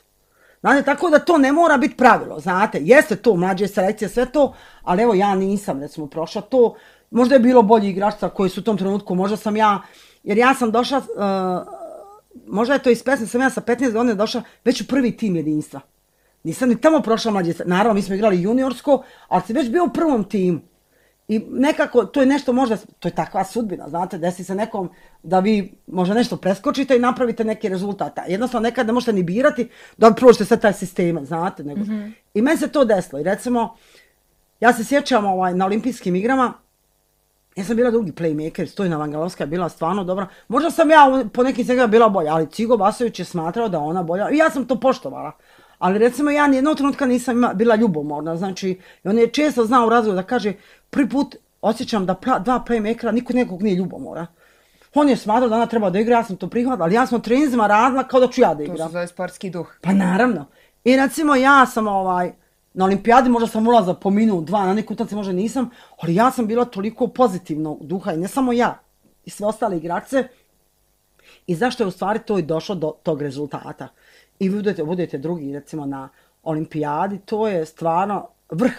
Znate, tako da to ne mora biti pravilo, znate. Jeste to, mlađe selekcije, sve to, ali evo ja nisam recimo prošla to. Možda je bilo bolji igrača koji su u tom trenutku, možda sam ja, jer ja sam došla, uh, možda je to ispesno, sam ja sa petnaest godina došla već u prvi tim jedinstva. Nisam ni tamo prošla mlađe, naravno mi smo igrali juniorsko, ali sam već bio u prvom timu. I nekako, to je nešto možda, to je takva sudbina, znate, desi se nekom da vi možda nešto preskočite i napravite neki rezultat. Jednostavno nekad ne možete ni birati da prođete sve taj sistem, znate. Nego. Mm-hmm. I meni se to desilo. I recimo, ja se sjećam ovaj, na olimpijskim igrama, ja sam bila drugi playmaker, Stojna Vangalovska je bila stvarno dobra. Možda sam ja po nekim svega bila bolja, ali Cigo Vasović je smatrao da ona bolja. I ja sam to poštovala. Ali recimo ja nijednog trenutka nisam ima, bila ljubomorna. Znači, on je često znao u razgovoru da kaže, prvi put osjećam da pra, dva playmakera, niko nekog nije ljubomora. On je smatrao da ona treba da igra, ja sam to prihvatila, ali ja sam treninzima radila kao da ću ja da igram. To se zove sportski duh. Pa naravno. I recimo ja sam ovaj, na olimpijadi možda sam ulazila po minut, dva, na neku utakmicu možda nisam, ali ja sam bila toliko pozitivnog duha i ne samo ja, i sve ostale igrače. I zašto je u stvari to i došlo do tog rezultata. I budete, budete drugi recimo na olimpijadi, to je stvarno vrh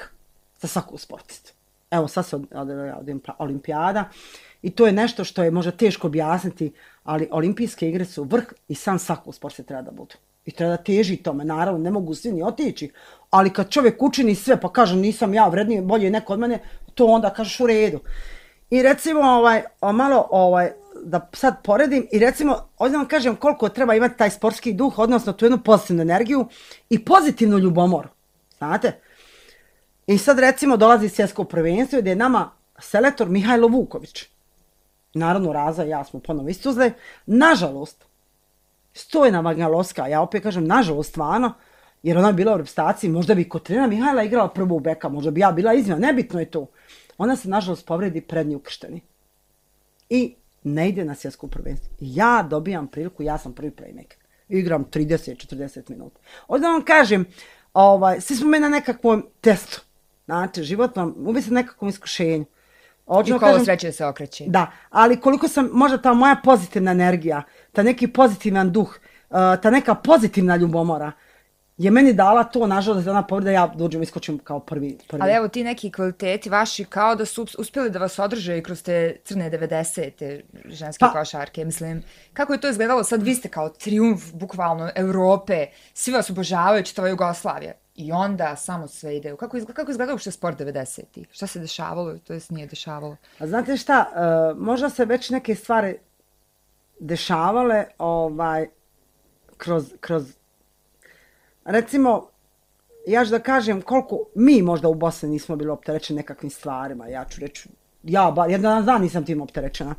za svaku sportistu. Evo sad se od, od, od, od olimpijada i to je nešto što je možda teško objasniti, ali olimpijske igre su vrh i sam svaku sport se treba da budu. I treba da teži tome, naravno ne mogu svi ni otići, ali kad čovjek učini sve pa kaže nisam ja vredniji, bolje neko od mene, to onda kažeš u redu. I recimo ovaj, malo ovaj, da sad poredim i recimo, ovdje vam kažem koliko treba imati taj sportski duh, odnosno tu jednu pozitivnu energiju i pozitivnu ljubomoru, znate? I sad recimo dolazi svjetsko prvenstvo gdje je nama selektor Mihajlo Vuković. Naravno Raza i ja smo ponovo istuzle. Nažalost, Stojna Vangalovska, ja opet kažem nažalost stvarno, jer ona je bila u reprezentaciji, možda bi kod trenera Mihajla igrala prvu beka, možda bi ja bila izmjena, nebitno je to. Ona se nažalost povredi prednji ukršteni. I ne ide na svjetsko prvenstvo. Ja dobijam priliku, ja sam prvi playmaker. Igram trideset do četrdeset minuta. Ovdje vam kažem, ovaj, svi smo mi na nekakvom testu. Znate, život vam uvijek se nekakvom iskušenju. I kolo sreće se okreće. Da, ali koliko sam, možda ta moja pozitivna energija, ta neki pozitivan duh, ta neka pozitivna ljubomora, je meni dala to, nažalost, da ona povreda, ja dođem i iskočim kao prvi, prvi. Ali evo, ti neki kvaliteti vaši kao da su uspjeli da vas održe i kroz te crne devedesete ženske pa, košarke, mislim. Kako je to izgledalo? Sad vi ste kao trijumf, bukvalno, Evrope, svi vas obožavaju, čitava Jugoslavija. I onda samo sve ide. Kako, izgleda, kako izgledao uopšte sport devedesetih? Šta se dešavalo, to jest nije dešavalo? A znate šta, uh, možda se već neke stvari dešavale ovaj, kroz, kroz recimo, ja ću da kažem koliko mi možda u Bosni nismo bili opterećeni nekakvim stvarima, ja ću reći, ja bar, jedan dan nisam tim opterećena.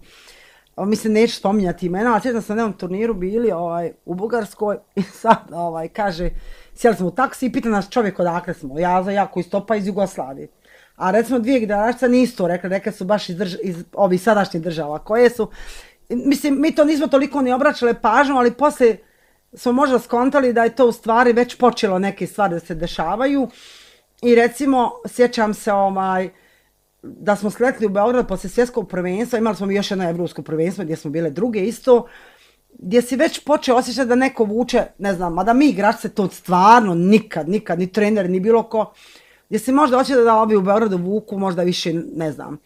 Mislim, neću spominjati imena, ali sjećam sam na jednom turniru bili ovaj, u Bugarskoj i sad ovaj, kaže, sjeli smo u taksi i pita nas čovjek odakle smo, ja za jako iz topa iz Jugoslavije. A recimo dvije generacije nisu to rekli, rekli su baš iz, drž iz ovih sadašnjih država koje su, mislim, mi to nismo toliko ni obraćali pažnju, ali poslije smo možda skontali da je to u stvari već počelo neke stvari da se dešavaju i recimo sjećam se ovaj, da smo sletli u Beograd posle svjetskog prvenstva, imali smo još jedno evropsko prvenstvo gdje smo bile druge isto, gdje si već počeo osjećati da neko vuče, ne znam, mada mi igrači se to stvarno nikad, nikad, ni trener, ni bilo ko, gdje si možda osjeća da ovi u Beogradu vuku možda više, ne znam,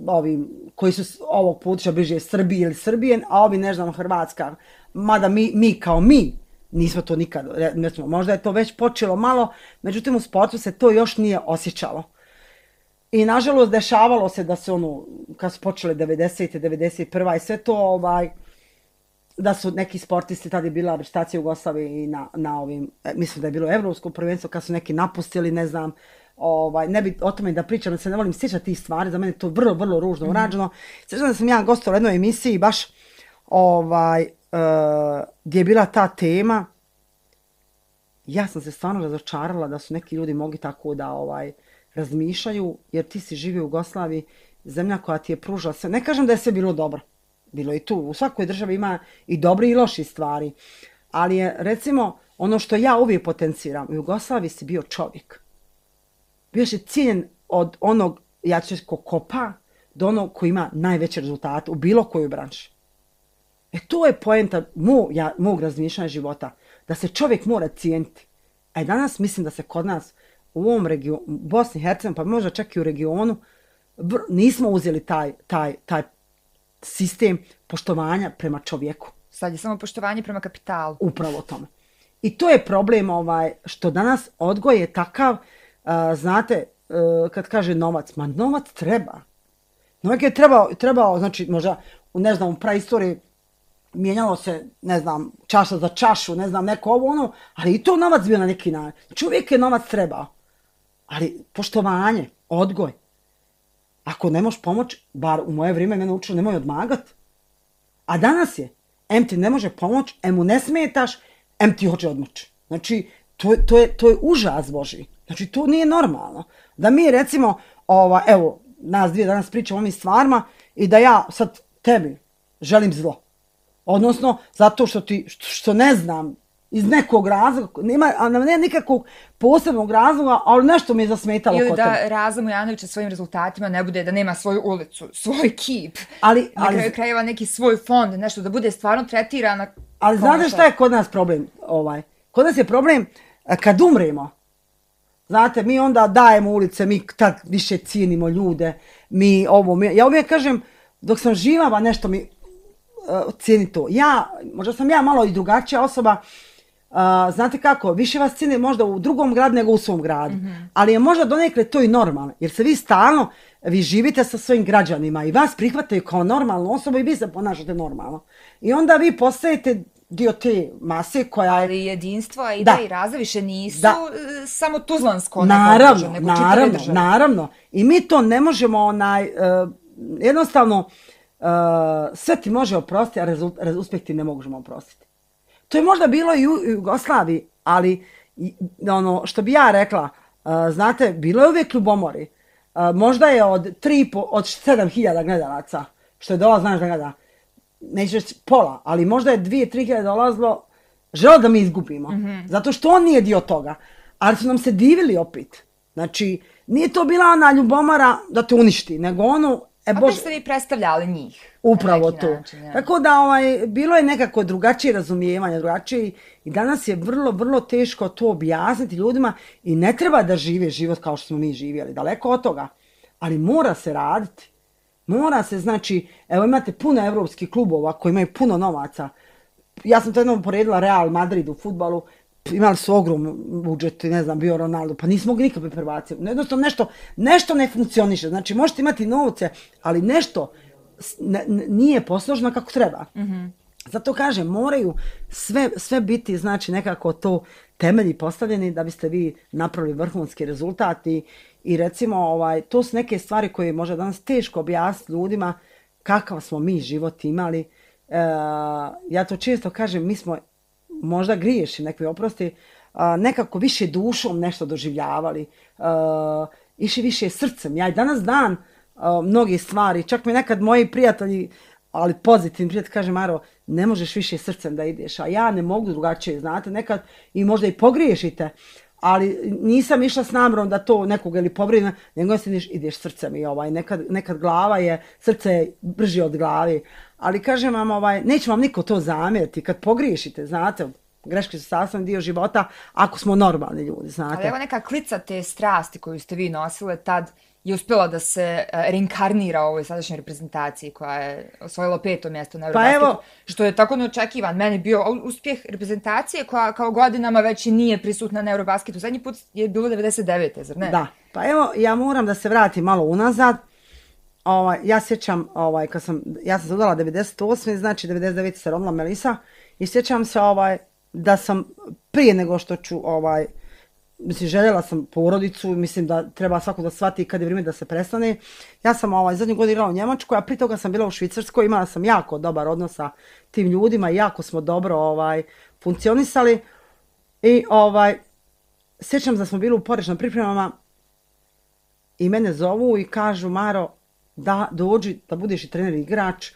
ovi koji su ovog puta bliže Srbiji ili Srbije, a ovi ne znam Hrvatska, mada mi, mi kao mi nismo to nikad, recimo, možda je to već počelo malo, međutim u sportu se to još nije osjećalo. I nažalost dešavalo se da se ono, kad su počele devedesete, devedeset prva i sve to, ovaj, da su neki sportisti, tada je bila reprezentacija Jugoslavije i na, na ovim, mislim da je bilo evropsko prvenstvo, kad su neki napustili, ne znam, ovaj, ne bi o tome da pričam, da se ne volim sjećati tih stvari, za mene je to vrlo, vrlo ružno urađeno. Mm -hmm. Sjećam da sam ja gostovala u jednoj emisiji, baš, ovaj, uh, gdje je bila ta tema, ja sam se stvarno razočarala da su neki ljudi mogli tako da, ovaj, razmišljaju, jer ti si živio u Jugoslaviji, zemlja koja ti je pružala sve. Ne kažem da je sve bilo dobro. Bilo i tu. U svakoj državi ima i dobri i loši stvari. Ali je, recimo, ono što ja uvijek potenciram, u Jugoslaviji si bio čovjek. Bio si cijenjen od onog, ja ću ko kopa, do onog koji ima najveće rezultate u bilo kojoj branši. E to je poenta mog, ja, mog razmišljanja života. Da se čovjek mora cijeniti. A danas mislim da se kod nas u ovom regionu, Bosni i Hercegovini, pa možda čak i u regionu, nismo uzeli taj, taj, taj sistem poštovanja prema čovjeku. Sad je samo poštovanje prema kapitalu. Upravo tome. I to je problem ovaj, što danas odgoj je takav, uh, znate, uh, kad kaže novac, ma novac treba. Novac je trebao, trebao, znači možda, ne znam, u praistoriji mijenjalo se, ne znam, čaša za čašu, ne znam, neko ovo ono, ali i to novac bio na neki način. Znači uvijek je novac trebao. Ali poštovanje, odgoj. Ako ne možeš pomoći, bar u moje vrijeme mene učilo, nemoj odmagat. A danas je, em ti ne može pomoći, em mu ne smetaš, em ti hoće odmoći. Znači, to, to, je, to je užas Boži. Znači, to nije normalno. Da mi recimo, ova, evo, nas dvije danas pričamo o ovim stvarima i da ja sad tebi želim zlo. Odnosno, zato što ti, što, što ne znam, iz nekog razloga, nema, a ne nikakvog posebnog razloga, ali nešto mi je zasmetalo ili kod da tebe. Raza Mujanović sa svojim rezultatima ne bude, da nema svoju ulicu, svoj kip, ali, na ali, kraju krajeva neki svoj fond, nešto da bude stvarno tretirana. Ali znate šta je kod nas problem? Ovaj? Kod nas je problem kad umremo. Znate, mi onda dajemo ulice, mi tak više cijenimo ljude, mi ovo, mi, ja uvijek kažem, dok sam živa, nešto mi uh, cijeni to. Ja, možda sam ja malo i drugačija osoba, uh, znate kako, više vas cijeni možda u drugom gradu nego u svom gradu, mm-hmm. ali je možda donekle to i normalno, jer se vi stalno, vi živite sa svojim građanima i vas prihvataju kao normalnu osobu i vi se ponašate normalno. I onda vi postajete dio te mase koja je... Ali jedinstvo, a i da, da i Raza više nisu da. samo tuzlansko. Naravno, držav, nego naravno, naravno. I mi to ne možemo, onaj, uh, jednostavno, uh, sve ti može oprostiti, a rezult, uspjeh ti ne možemo oprostiti. To je možda bilo i u Jugoslaviji, ali ono što bi ja rekla, uh, znate, bilo je uvijek ljubomori. Uh, možda je od tri, od sedam hiljada gledalaca, što je dola, znaš da gleda, neću reći pola, ali možda je dvije, tri hiljade dolazilo, želo da mi izgubimo. Mm-hmm. Zato što on nije dio toga. Ali su nam se divili opet. Znači, nije to bila ona ljubomara da te uništi, nego ono, e Opet Bože, ste vi predstavljali njih. upravo na neki to. način, ja. Tako da ovaj, bilo je nekako drugačije razumijevanje, drugačije i danas je vrlo, vrlo teško to objasniti ljudima i ne treba da žive život kao što smo mi živjeli, daleko od toga, ali mora se raditi. Mora se, znači, evo imate puno evropskih klubova koji imaju puno novaca. Ja sam to jednom poredila Real Madrid u fudbalu, imali su ogrom budžet, ne znam, bio Ronaldo, pa nismo mogli nikakve prvacije. Jednostavno nešto, nešto ne funkcioniše. Znači, možete imati novce, ali nešto ne, nije posloženo kako treba. Mm-hmm. Zato kažem, moraju sve, sve biti, znači, nekako to temelji postavljeni da biste vi napravili vrhunski rezultat i, i recimo, ovaj, to su neke stvari koje može danas teško objasniti ljudima kakav smo mi život imali. E, ja to često kažem, mi smo možda griješim, nek mi oprosti, nekako više dušom nešto doživljavali, iši više srcem. Ja i danas dan mnogi stvari, čak mi nekad moji prijatelji, ali pozitivni prijatelji, kaže Maro, ne možeš više srcem da ideš, a ja ne mogu drugačije, znate, nekad i možda i pogriješite, ali nisam išla s namjerom da to nekoga ili povrijedim, nego se ideš, ideš srcem i ovaj, nekad, nekad glava je, srce je brže od glavi, ali kažem vam, ovaj, neće vam niko to zamjeriti kad pogriješite, znate, greške su sastavni dio života ako smo normalni ljudi, znate. Ali evo neka klica te strasti koju ste vi nosile tad je uspjela da se uh, reinkarnira u ovoj sadašnjoj reprezentaciji koja je osvojila peto mjesto na Eurobasketu, pa evo, što je tako neočekivan. Meni bio uspjeh reprezentacije koja kao godinama već i nije prisutna na Eurobasketu. Zadnji put je bilo devedeset devete zar ne? Da, pa evo ja moram da se vratim malo unazad. Ovaj, ja sjećam, ovaj, kad sam, ja sam se udala devedeset osme znači devedeset devete se rodila Melisa i sjećam se ovaj, da sam prije nego što ću, ovaj, mislim, željela sam porodicu, mislim da treba svako da shvati kad je vrijeme da se prestane. Ja sam ovaj, zadnju godinu igrala u Njemačkoj, a prije toga sam bila u Švicarskoj, imala sam jako dobar odnos sa tim ljudima, jako smo dobro ovaj, funkcionisali i ovaj, sjećam da smo bili u porečnim pripremama i mene zovu i kažu Maro, da dođi da budeš i trener i igrač,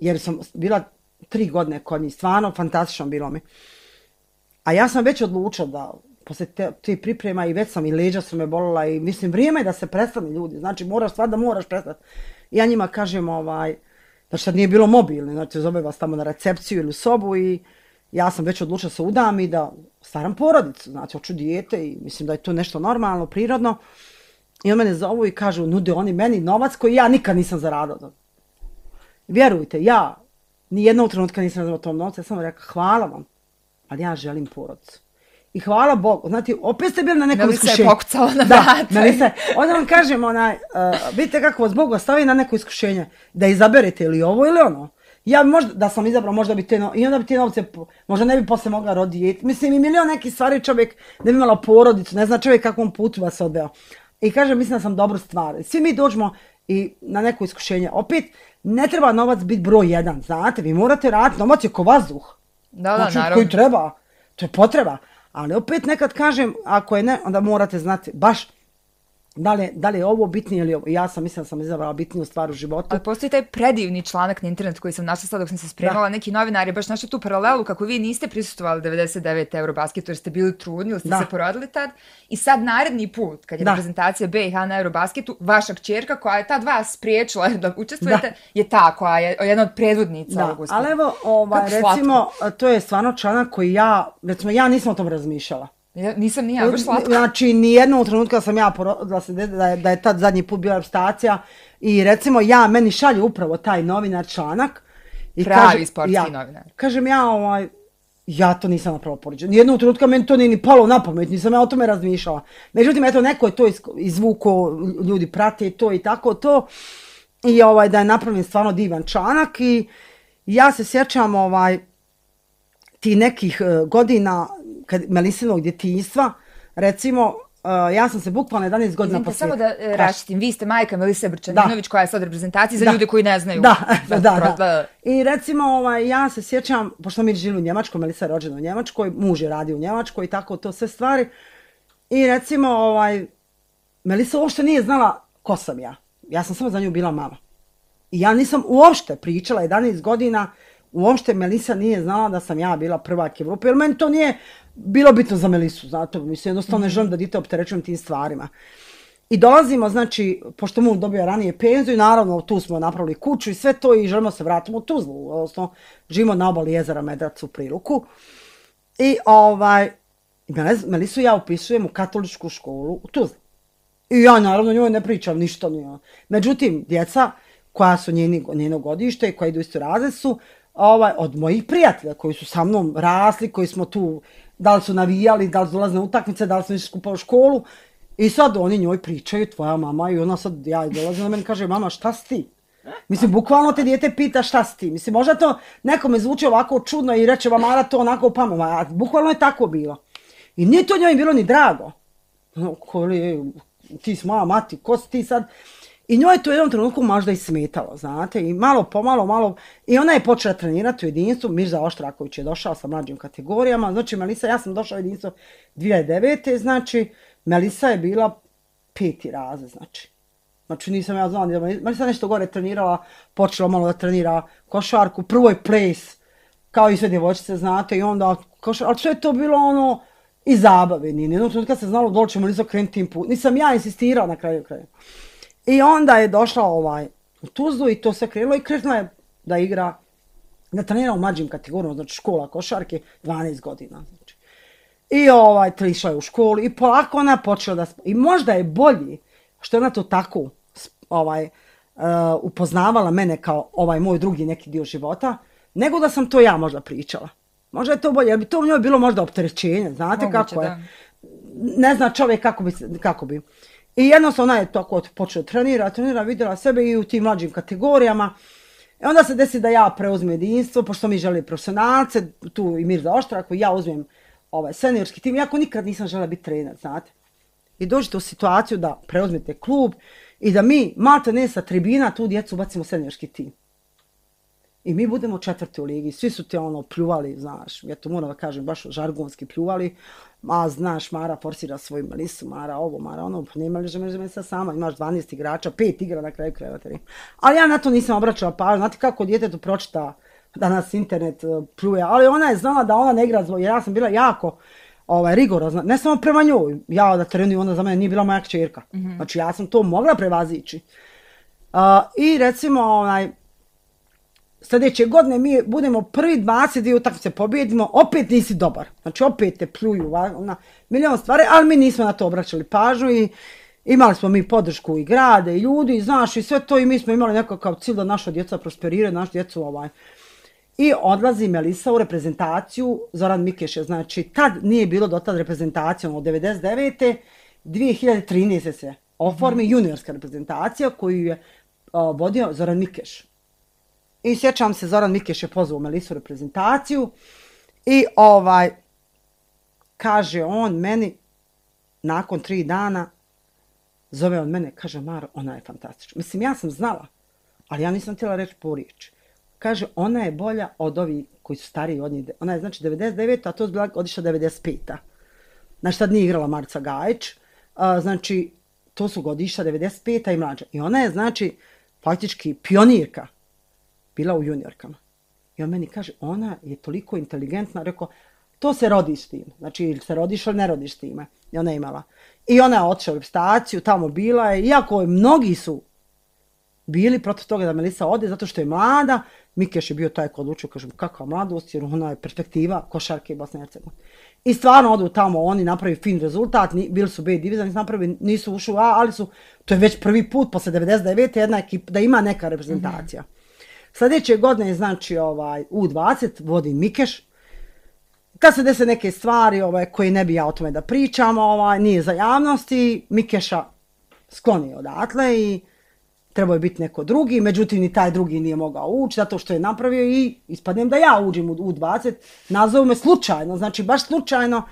jer sam bila tri godine kod njih, stvarno fantastično bilo mi. A ja sam već odlučila da posle te, te priprema i već sam i leđa su me bolila i mislim vrijeme je da se prestane ljudi, znači moraš stvar da moraš prestati. Ja njima kažem ovaj, znači sad nije bilo mobilno, znači zove vas tamo na recepciju ili u sobu i ja sam već odlučila se udam i da staram porodicu, znači hoću dijete i mislim da je to nešto normalno, prirodno. I on mene zovu i kažu, nude oni meni novac koji ja nikad nisam zaradila. Vjerujte, ja nijednog trenutka nisam razumela tom novcu, ja sam rekla, hvala vam, ali ja želim porodicu. I hvala Bogu, znate, opet ste bili na nekom iskušenju. Melisa je pokucala na da, vrata. Melisa, onda vam kažem, onaj, uh, vidite kako vas Bog ostavi na neko iskušenje, da izaberete ili ovo ili ono. Ja možda, da sam izabrao, možda bi te, no, i onda bi te novce, možda ne bi posle mogla roditi. Mislim, i milion nekih stvari čovjek ne bi imala porodicu, ne zna čovjek kakvom putu vas odveo. I kažem, mislim da sam dobro stvar. Svi mi dođemo i na neko iskušenje. Opet, ne treba novac biti broj jedan, znate, vi morate raditi, novac je ko vazduh. Da, da, znači, naravno. koji treba, to je potreba. Ali opet nekad kažem, ako je ne, onda morate znati baš da li, da li je ovo bitnije ili ovo. Ja sam mislim da sam izabrala bitniju stvar u životu. Ali postoji taj predivni članak na internetu koji sam našla sad dok sam se spremala. Da. Neki novinar je baš našao tu paralelu kako vi niste prisustvovali devedeset devete Eurobasketu jer ste bili trudni ili ste da. se porodili tad. I sad naredni put kad je da. reprezentacija B i H na Eurobasketu, vaša kćerka koja je tad vas spriječila da učestvujete da. je ta koja je jedna od predvodnica ovog uspjeha. Ali evo, ovaj, recimo, to je stvarno članak koji ja, recimo ja nisam o tom razmišljala. Ja, nisam ni ja, baš slatko. Znači, nijednog trenutka sam ja porodila se da je, da je tad zadnji put bila reprezentacija i recimo ja, meni šalje upravo taj novinar članak. I pravi kaže, sportski ja, novinar. Kažem ja, ovaj, ja to nisam napravo poređena. Nijednog trenutka meni to nije ni palo na pamet, nisam ja o tome razmišljala. Međutim, eto, neko je to izvuko, ljudi prate to i tako to. I ovaj, da je napravljen stvarno divan članak i ja se sjećam ovaj, ti nekih uh, godina kad Melisinog djetinjstva, recimo, uh, ja sam se bukvalno jedanaest godina poslije... Samo da uh, raštim, vi ste majka Melise Brčaninović koja je sad reprezentacija za da. ljude koji ne znaju. Da, da, da, da. I recimo, ovaj, ja se sjećam, pošto mi žili u Njemačkoj, Melisa je rođena u Njemačkoj, muž je radio u Njemačkoj i tako to sve stvari. I recimo, ovaj, Melisa uopšte nije znala ko sam ja. Ja sam samo za nju bila mama. I ja nisam uopšte pričala jedanaest godina uopšte Melisa nije znala da sam ja bila prvak Evrope, jer meni to nije bilo bitno za Melisu, zato mislim, jednostavno ne želim da dite opterećujem tim stvarima. I dolazimo, znači, pošto mu dobio ranije penziju, naravno tu smo napravili kuću i sve to i želimo se vratimo u Tuzlu, odnosno živimo na obali jezera Medrac u Priluku. I ovaj, Melisu ja upisujem u katoličku školu u Tuzli. I ja naravno njoj ne pričam ništa. Nije. Međutim, djeca koja su njeni, njeno godište i koja idu isto razred su ovaj, od mojih prijatelja koji su sa mnom rasli, koji smo tu, da li su navijali, da li su dolaze na utakmice, da li smo išli skupa u školu. I sad oni njoj pričaju, tvoja mama, i ona sad, ja dolazim na meni, kaže, mama, šta si ti? Mislim, bukvalno te dijete pita šta si ti. Mislim, možda to nekome zvuči ovako čudno i reče, mamara to onako pamet, a bukvalno je tako bilo. I nije to njoj bilo ni drago. Koli, ti si moja mati, ko si ti sad? I njoj je to u jednom trenutku možda i smetalo, znate, i malo pomalo, malo, i ona je počela trenirati u jedinstvu, Mirza Oštraković je došao sa mlađim kategorijama, znači Melisa, ja sam došla u jedinstvo dvije hiljade devete. znači, Melisa je bila peti razred, znači. Znači nisam ja znala, Melisa nešto gore trenirala, počela malo da trenira košarku, prvo je ples, kao i sve djevojčice, znate, i onda košarku, ali sve je to bilo ono, i zabave, nije, jednom trenutku kad se znalo dole će Melisa krenuti tim put, nisam ja insistirala na kraju kraju. I onda je došla ovaj, u Tuzlu i to sve krenulo i krenula je da igra, da trenira u mlađim kategorijama, znači škola košarke, dvanaest godina, znači. I ovaj, išla je u školu i polako ona počela da... I možda je bolji što je ona to tako ovaj, uh, upoznavala mene kao ovaj moj drugi neki dio života, nego da sam to ja možda pričala. Možda je to bolje, jer bi to u njoj bilo možda opterećenje, znate moguće, kako je. Da. Ne zna čovjek kako bi, kako bi. I jednostavno ona je tako počela trenira, trenira, vidjela sebe i u tim mlađim kategorijama. I onda se desi da ja preuzmem jedinstvo, pošto mi želi profesionalce, tu i Mirza Oštrak, ja uzmem ovaj seniorski tim, iako nikad nisam žela biti trener, znate. I dođete u situaciju da preuzmete klub i da mi, malte ne sa tribina, tu djecu bacimo seniorski tim. I mi budemo četvrti u ligi, svi su te ono pljuvali, znaš, ja to moram da kažem, baš žargonski pljuvali, a znaš, Mara forsira svoju Melisu, Mara ovo, Mara ono, pa nema li žele Melisa sama, imaš dvanaest igrača, pet igra na kraju krajeva. Ali ja na to nisam obraćala pažnju, znate kako djetetu pročita da nas internet pljuje, ali ona je znala da ona ne igra zbog, jer ja sam bila jako ovaj, rigorozna, ne samo prema njoj, ja da trenujem, ona za mene nije bila moja kćerka, mm-hmm. Znači ja sam to mogla prevazići. Uh, I recimo, onaj, sljedeće godine mi budemo prvi dvadeset dvije utakmice pobjedimo, opet nisi dobar, znači opet te pljuju na milion stvari, ali mi nismo na to obraćali pažnju i imali smo mi podršku i grade i ljudi, znaš, i sve to i mi smo imali nekakav cilj da naša djeca prosperiraju, naša djecu ovaj. I odlazi Melisa u reprezentaciju, Zoran Mikeš je, znači tad nije bilo do tad reprezentacijom od devedeset devete. dvije hiljade trinaeste. se oformi mm. juniorska reprezentacija koju je uh, vodio Zoran Mikeš. I sjećam se, Zoran Mikeš je pozvao Melisu u reprezentaciju i ovaj, kaže on meni, nakon tri dana, zove on mene, kaže Maro, ona je fantastična. Mislim, ja sam znala, ali ja nisam htjela reći po riječi. Kaže, ona je bolja od ovih koji su stariji od njih. Ona je znači devedeset devete. a to je bila godišta devedeset peta. Znači, tad nije igrala Marica Gajić. A, znači, to su godišta devedeset peta i mlađa. I ona je, znači, faktički pionirka bila u juniorkama. I on meni kaže, ona je toliko inteligentna. Rekao, to se rodi s tim. Znači, ili se rodiš ili ne rodiš s time. I ona je imala. I ona je otišla u reprezentaciju, tamo bila je. Iako mnogi su bili protiv toga da Melisa ode, zato što je mlada. Mikeš je bio taj ko odlučio, kažem, kakva mladost, jer ona je perspektiva košarke Bosne i Hercegovine. I stvarno odu tamo, oni napravi fin rezultat, bili su B divizija, nisu napravili, nisu ušli u A, ali su, to je već prvi put, posle devedeset devete. jedna ekipa, da ima neka reprezentacija. Mm-hmm. Sljedeće godine je, znači, ovaj, U dvadeset, vodi Mikeš. Kad se dese neke stvari ovaj, koje ne bi ja o tome da pričam, ovaj, nije za javnosti, Mikeša skloni odatle i trebao je biti neko drugi, međutim ni taj drugi nije mogao ući, zato što je napravio i ispadnem da ja uđem u U dvadeset, nazovu me slučajno, znači baš slučajno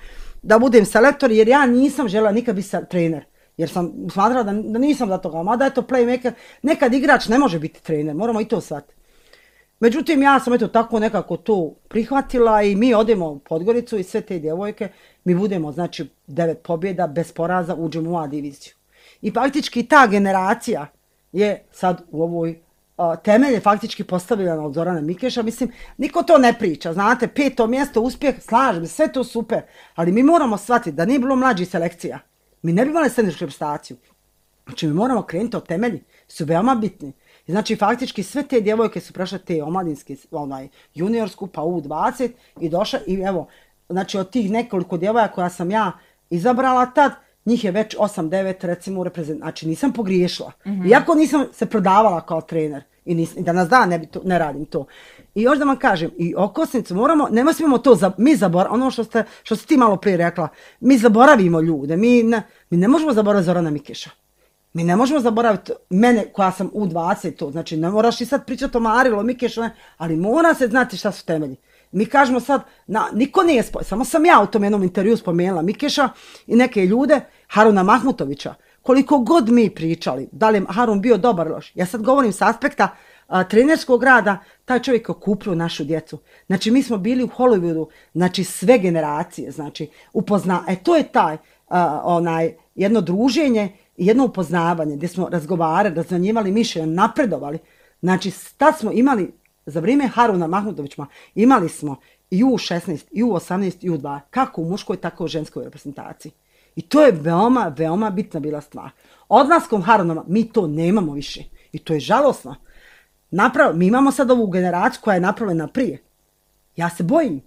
da budem selektor, jer ja nisam željela nikad biti trener, jer sam smatrala da, da nisam za toga, mada je to playmaker, nekad igrač ne može biti trener, moramo i to shvatiti. Međutim, ja sam eto tako nekako to prihvatila i mi odemo u Podgoricu i sve te djevojke, mi budemo, znači, devet pobjeda, bez poraza, uđemo u A diviziju. I praktički ta generacija je sad u ovoj temelje faktički postavljeno od Zorana Mikeša, mislim, niko to ne priča, znate, peto mjesto, uspjeh, slažem, sve to super, ali mi moramo shvatiti da nije bilo mlađih selekcija, mi ne bi imali senioršku reprezentaciju, znači mi moramo krenuti od temelji, su veoma bitni. I znači faktički sve te djevojke su prešle te omladinske, onaj, juniorsku, pa U dvadeset i došle i evo, znači od tih nekoliko djevojaka koja sam ja izabrala tad, njih je već osam devet recimo u reprezentaciji, znači nisam pogriješila. Mm-hmm. Iako nisam se prodavala kao trener i, nis, i danas dan ne, to, ne radim to. I još da vam kažem, i okosnicu moramo, ne smijemo to, za, mi zaboravimo, ono što ste, što ste ti malo prije rekla, mi zaboravimo ljude, mi ne, mi ne možemo zaboraviti Zorana Mikeša. Mi ne možemo zaboraviti mene koja sam U dvadeset, to, znači ne moraš i sad pričati o Marilu, o Mikešu, ne, ali mora se znati šta su temelji. Mi kažemo sad, na, niko nije spoj, samo sam ja u tom jednom intervju spomenula Mikeša i neke ljude, Haruna Mahmutovića, koliko god mi pričali, da li je Harun bio dobar loš. Ja sad govorim s aspekta a, trenerskog rada, taj čovjek je okupio našu djecu. Znači mi smo bili u Hollywoodu, znači sve generacije, znači upozna, e to je taj, a, onaj, jedno druženje, jedno upoznavanje gdje smo razgovarali, razvanjivali mišljenja, napredovali. Znači tad smo imali, za vrijeme Haruna Mahmutovića, imali smo i U šesnaest, i U osamnaest, i U dva, kako u muškoj, tako u ženskoj reprezentaciji. I to je veoma, veoma bitna bila stvar. Odlaskom Harunova mi to nemamo više. I to je žalosno. Napravo, mi imamo sad ovu generaciju koja je napravljena prije. Ja se bojim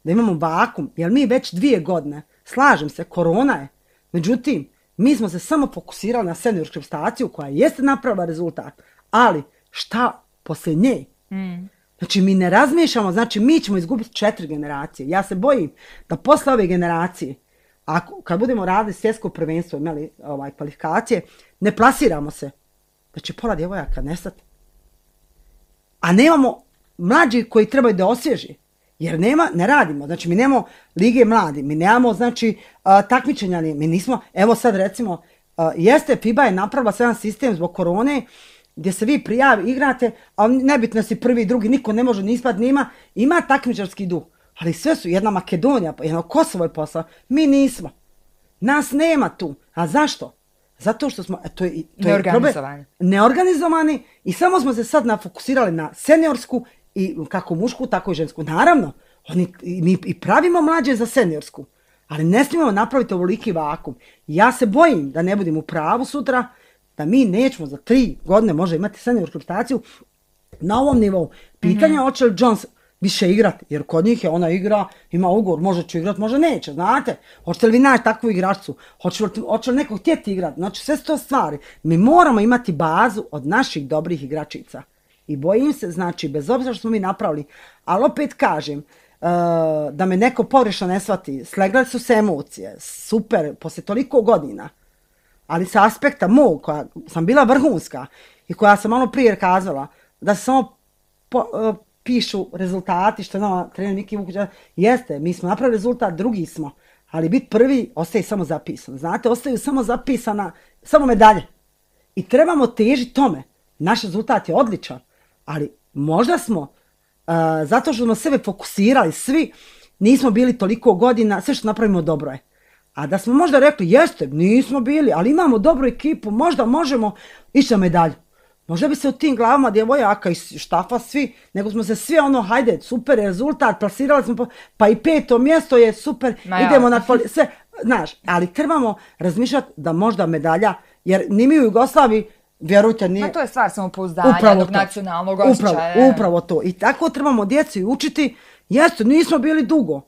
da imamo vakum, jer mi već dvije godine, slažem se, korona je. Međutim, mi smo se samo fokusirali na seniorsku reprezentaciju koja jeste napravila rezultat. Ali šta poslije nje? Mm. Znači mi ne razmišljamo, znači mi ćemo izgubiti četiri generacije. Ja se bojim da posle ove generacije, ako, kad budemo radili svjetsko prvenstvo, imali ovaj, kvalifikacije, ne plasiramo se, da će pola djevojaka nestati. A nemamo mlađi koji trebaju da osvježi. Jer nema, ne radimo, znači mi nemamo lige mladi, mi nemamo znači a, takmičenja, mi nismo, evo sad recimo, a, jeste FIBA je napravila jedan sistem zbog korone, gdje se vi prijavi, igrate, ali nebitno si prvi, drugi, niko ne može ni ispad, nima, ima takmičarski duh, ali sve su, jedna Makedonija, jedno Kosovo je poslao, mi nismo, nas nema tu, a zašto? Zato što smo, to je, to je neorganizovani. neorganizovani i samo smo se sad nafokusirali na seniorsku i kako mušku, tako i žensku. Naravno, oni, mi i pravimo mlađe za seniorsku, ali ne smijemo napraviti ovoliki vakum. Ja se bojim da ne budem u pravu sutra, da mi nećemo za tri godine može imati seniorsku reprezentaciju na ovom nivou. Pitanje mm-hmm. hoće li Jones više igrati, jer kod njih je ona igra, ima ugovor, može će igrati, može neće, znate. Hoćete li vi naći takvu igračcu? Hoće li, hoće li neko htjeti igrati? Znači sve su to stvari. Mi moramo imati bazu od naših dobrih igračica. I bojim se, znači, bez obzira što smo mi napravili, ali opet kažem, uh, da me neko pogrešno ne shvati, slegle su se emocije, super, poslije toliko godina, ali sa aspekta mog, koja sam bila vrhunska i koja sam malo prije kazala, da se samo po, uh, pišu rezultati, što je nama trener Miki Vukić, jeste, mi smo napravili rezultat, drugi smo, ali biti prvi ostaje samo zapisano. Znate, ostaju samo zapisana, samo medalje. I trebamo težiti tome. Naš rezultat je odličan, ali možda smo, uh, zato što smo sebe fokusirali, svi nismo bili toliko godina, sve što napravimo dobro je. A da smo možda rekli, jeste, nismo bili, ali imamo dobru ekipu, možda možemo ići na medalju. Možda bi se u tim glavama djevojaka i štafa svi, nego smo se svi ono, hajde, super rezultat, plasirali smo, pa i peto mjesto je super, Ma idemo ja. na kvali... sve, znaš, ali trebamo razmišljati da možda medalja, jer ni mi u Jugoslaviji, vjerujte, nije... Ma to je stvar samopouzdanja, jednog nacionalnog osjećaja. Upravo, upravo to. I tako trebamo djeci učiti, jesu, nismo bili dugo,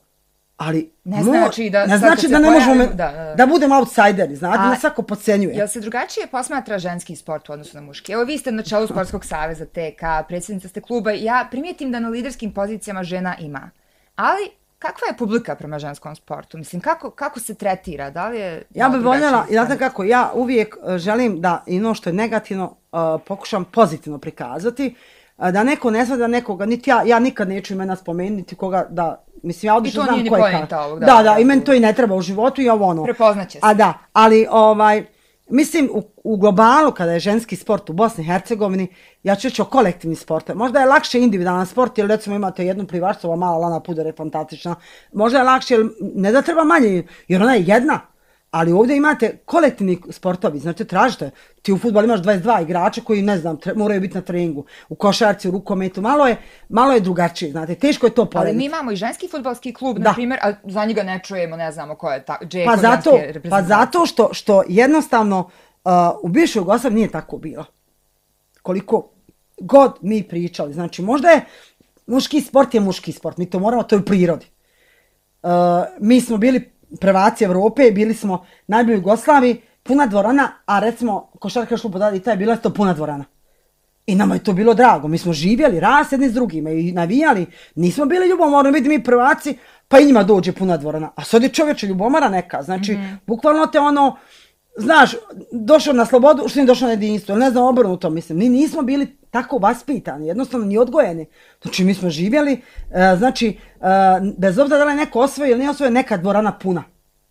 ali ne znači da, ne, znači da ne pojavimo, možemo da, da. da budemo outsideri, znate, da svako podcenjuje. Jel se drugačije posmatra ženski sport u odnosu na muški? Evo vi ste na čelu Sportskog saveza T K, predsjednica ste kluba, ja primijetim da na liderskim pozicijama žena ima. Ali kakva je publika prema ženskom sportu? Mislim, kako, kako se tretira? Da li je... Ja bih voljela, znate kako, ja uvijek želim da i ono što je negativno uh, pokušam pozitivno prikazati, uh, da neko ne zna da nekoga, niti ja, ja nikad neću imena spomenuti, niti koga da... Mislim, ja odlično znam ko je kako. Ovog, da, da, da, da, i meni to i ne treba u životu i ovo ono. Prepoznaće se. A da, ali ovaj, mislim u, u globalu kada je ženski sport u Bosni i Hercegovini, ja ću reći o kolektivni sport. Možda je lakše individualan sport, jer recimo imate jednu plivačicu, ova mala Lana Puder je fantastična. Možda je lakše, ne da treba manje, jer ona je jedna. Ali ovdje imate kolektivni sportovi, znači tražite, ti u fudbalu imaš dvadeset dva igrača koji, ne znam, tre, moraju biti na treningu, u košarci, u rukometu, malo je, malo je drugačije, znate, teško je to porediti. Ali mi imamo i ženski fudbalski klub, da. Na primjer, a za njega ne čujemo, ne znamo ko je ta, Džeko, pa zato, pa zato što, što jednostavno uh, u bivšoj Jugoslaviji nije tako bilo. Koliko god mi pričali, znači možda je, muški sport je muški sport, mi to moramo, to je u prirodi. Uh, mi smo bili prvaci Evrope, bili smo najbolji u Jugoslaviji, puna dvorana, a recimo košarkaški klub odavde Italije bila je to puna dvorana. I nama je to bilo drago, mi smo živjeli, rast jedni s drugima i navijali, nismo bili ljubomorni, biti mi prvaci, pa i njima dođe puna dvorana. A sad je čovječe ljubomara neka, znači mm-hmm. bukvalno te ono, znaš, došao na slobodu, što nije došao na jedinstvo, ne znam, obrnuto mislim, ni nismo bili tako vaspitani, jednostavno ni odgojeni. Znači mi smo živjeli, uh, znači uh, bez obzira da li je neko osvojio ili nije osvojio, neka dvorana puna.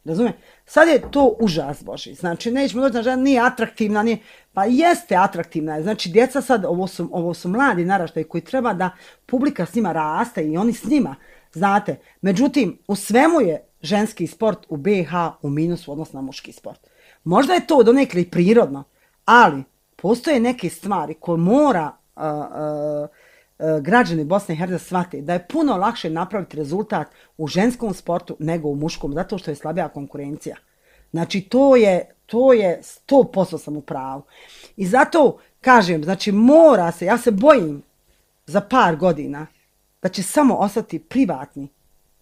Razumije? Sad je to užas Boži. Znači nećemo doći na žena, nije atraktivna, nije, pa jeste atraktivna. Znači djeca sad, ovo su, ovo su mladi naraštaji koji treba da publika s njima raste i oni s njima, znate. Međutim, u svemu je ženski sport u B i H u minusu odnosno na muški sport. Možda je to donekle i prirodno, ali postoje neke stvari koje mora uh, uh, uh, građani Bosne i Hercegovine shvatiti da je puno lakše napraviti rezultat u ženskom sportu nego u muškom, zato što je slabija konkurencija. Znači to je, to je sto posto sam u pravu. I zato kažem, znači mora se, ja se bojim za par godina da će samo ostati privatni,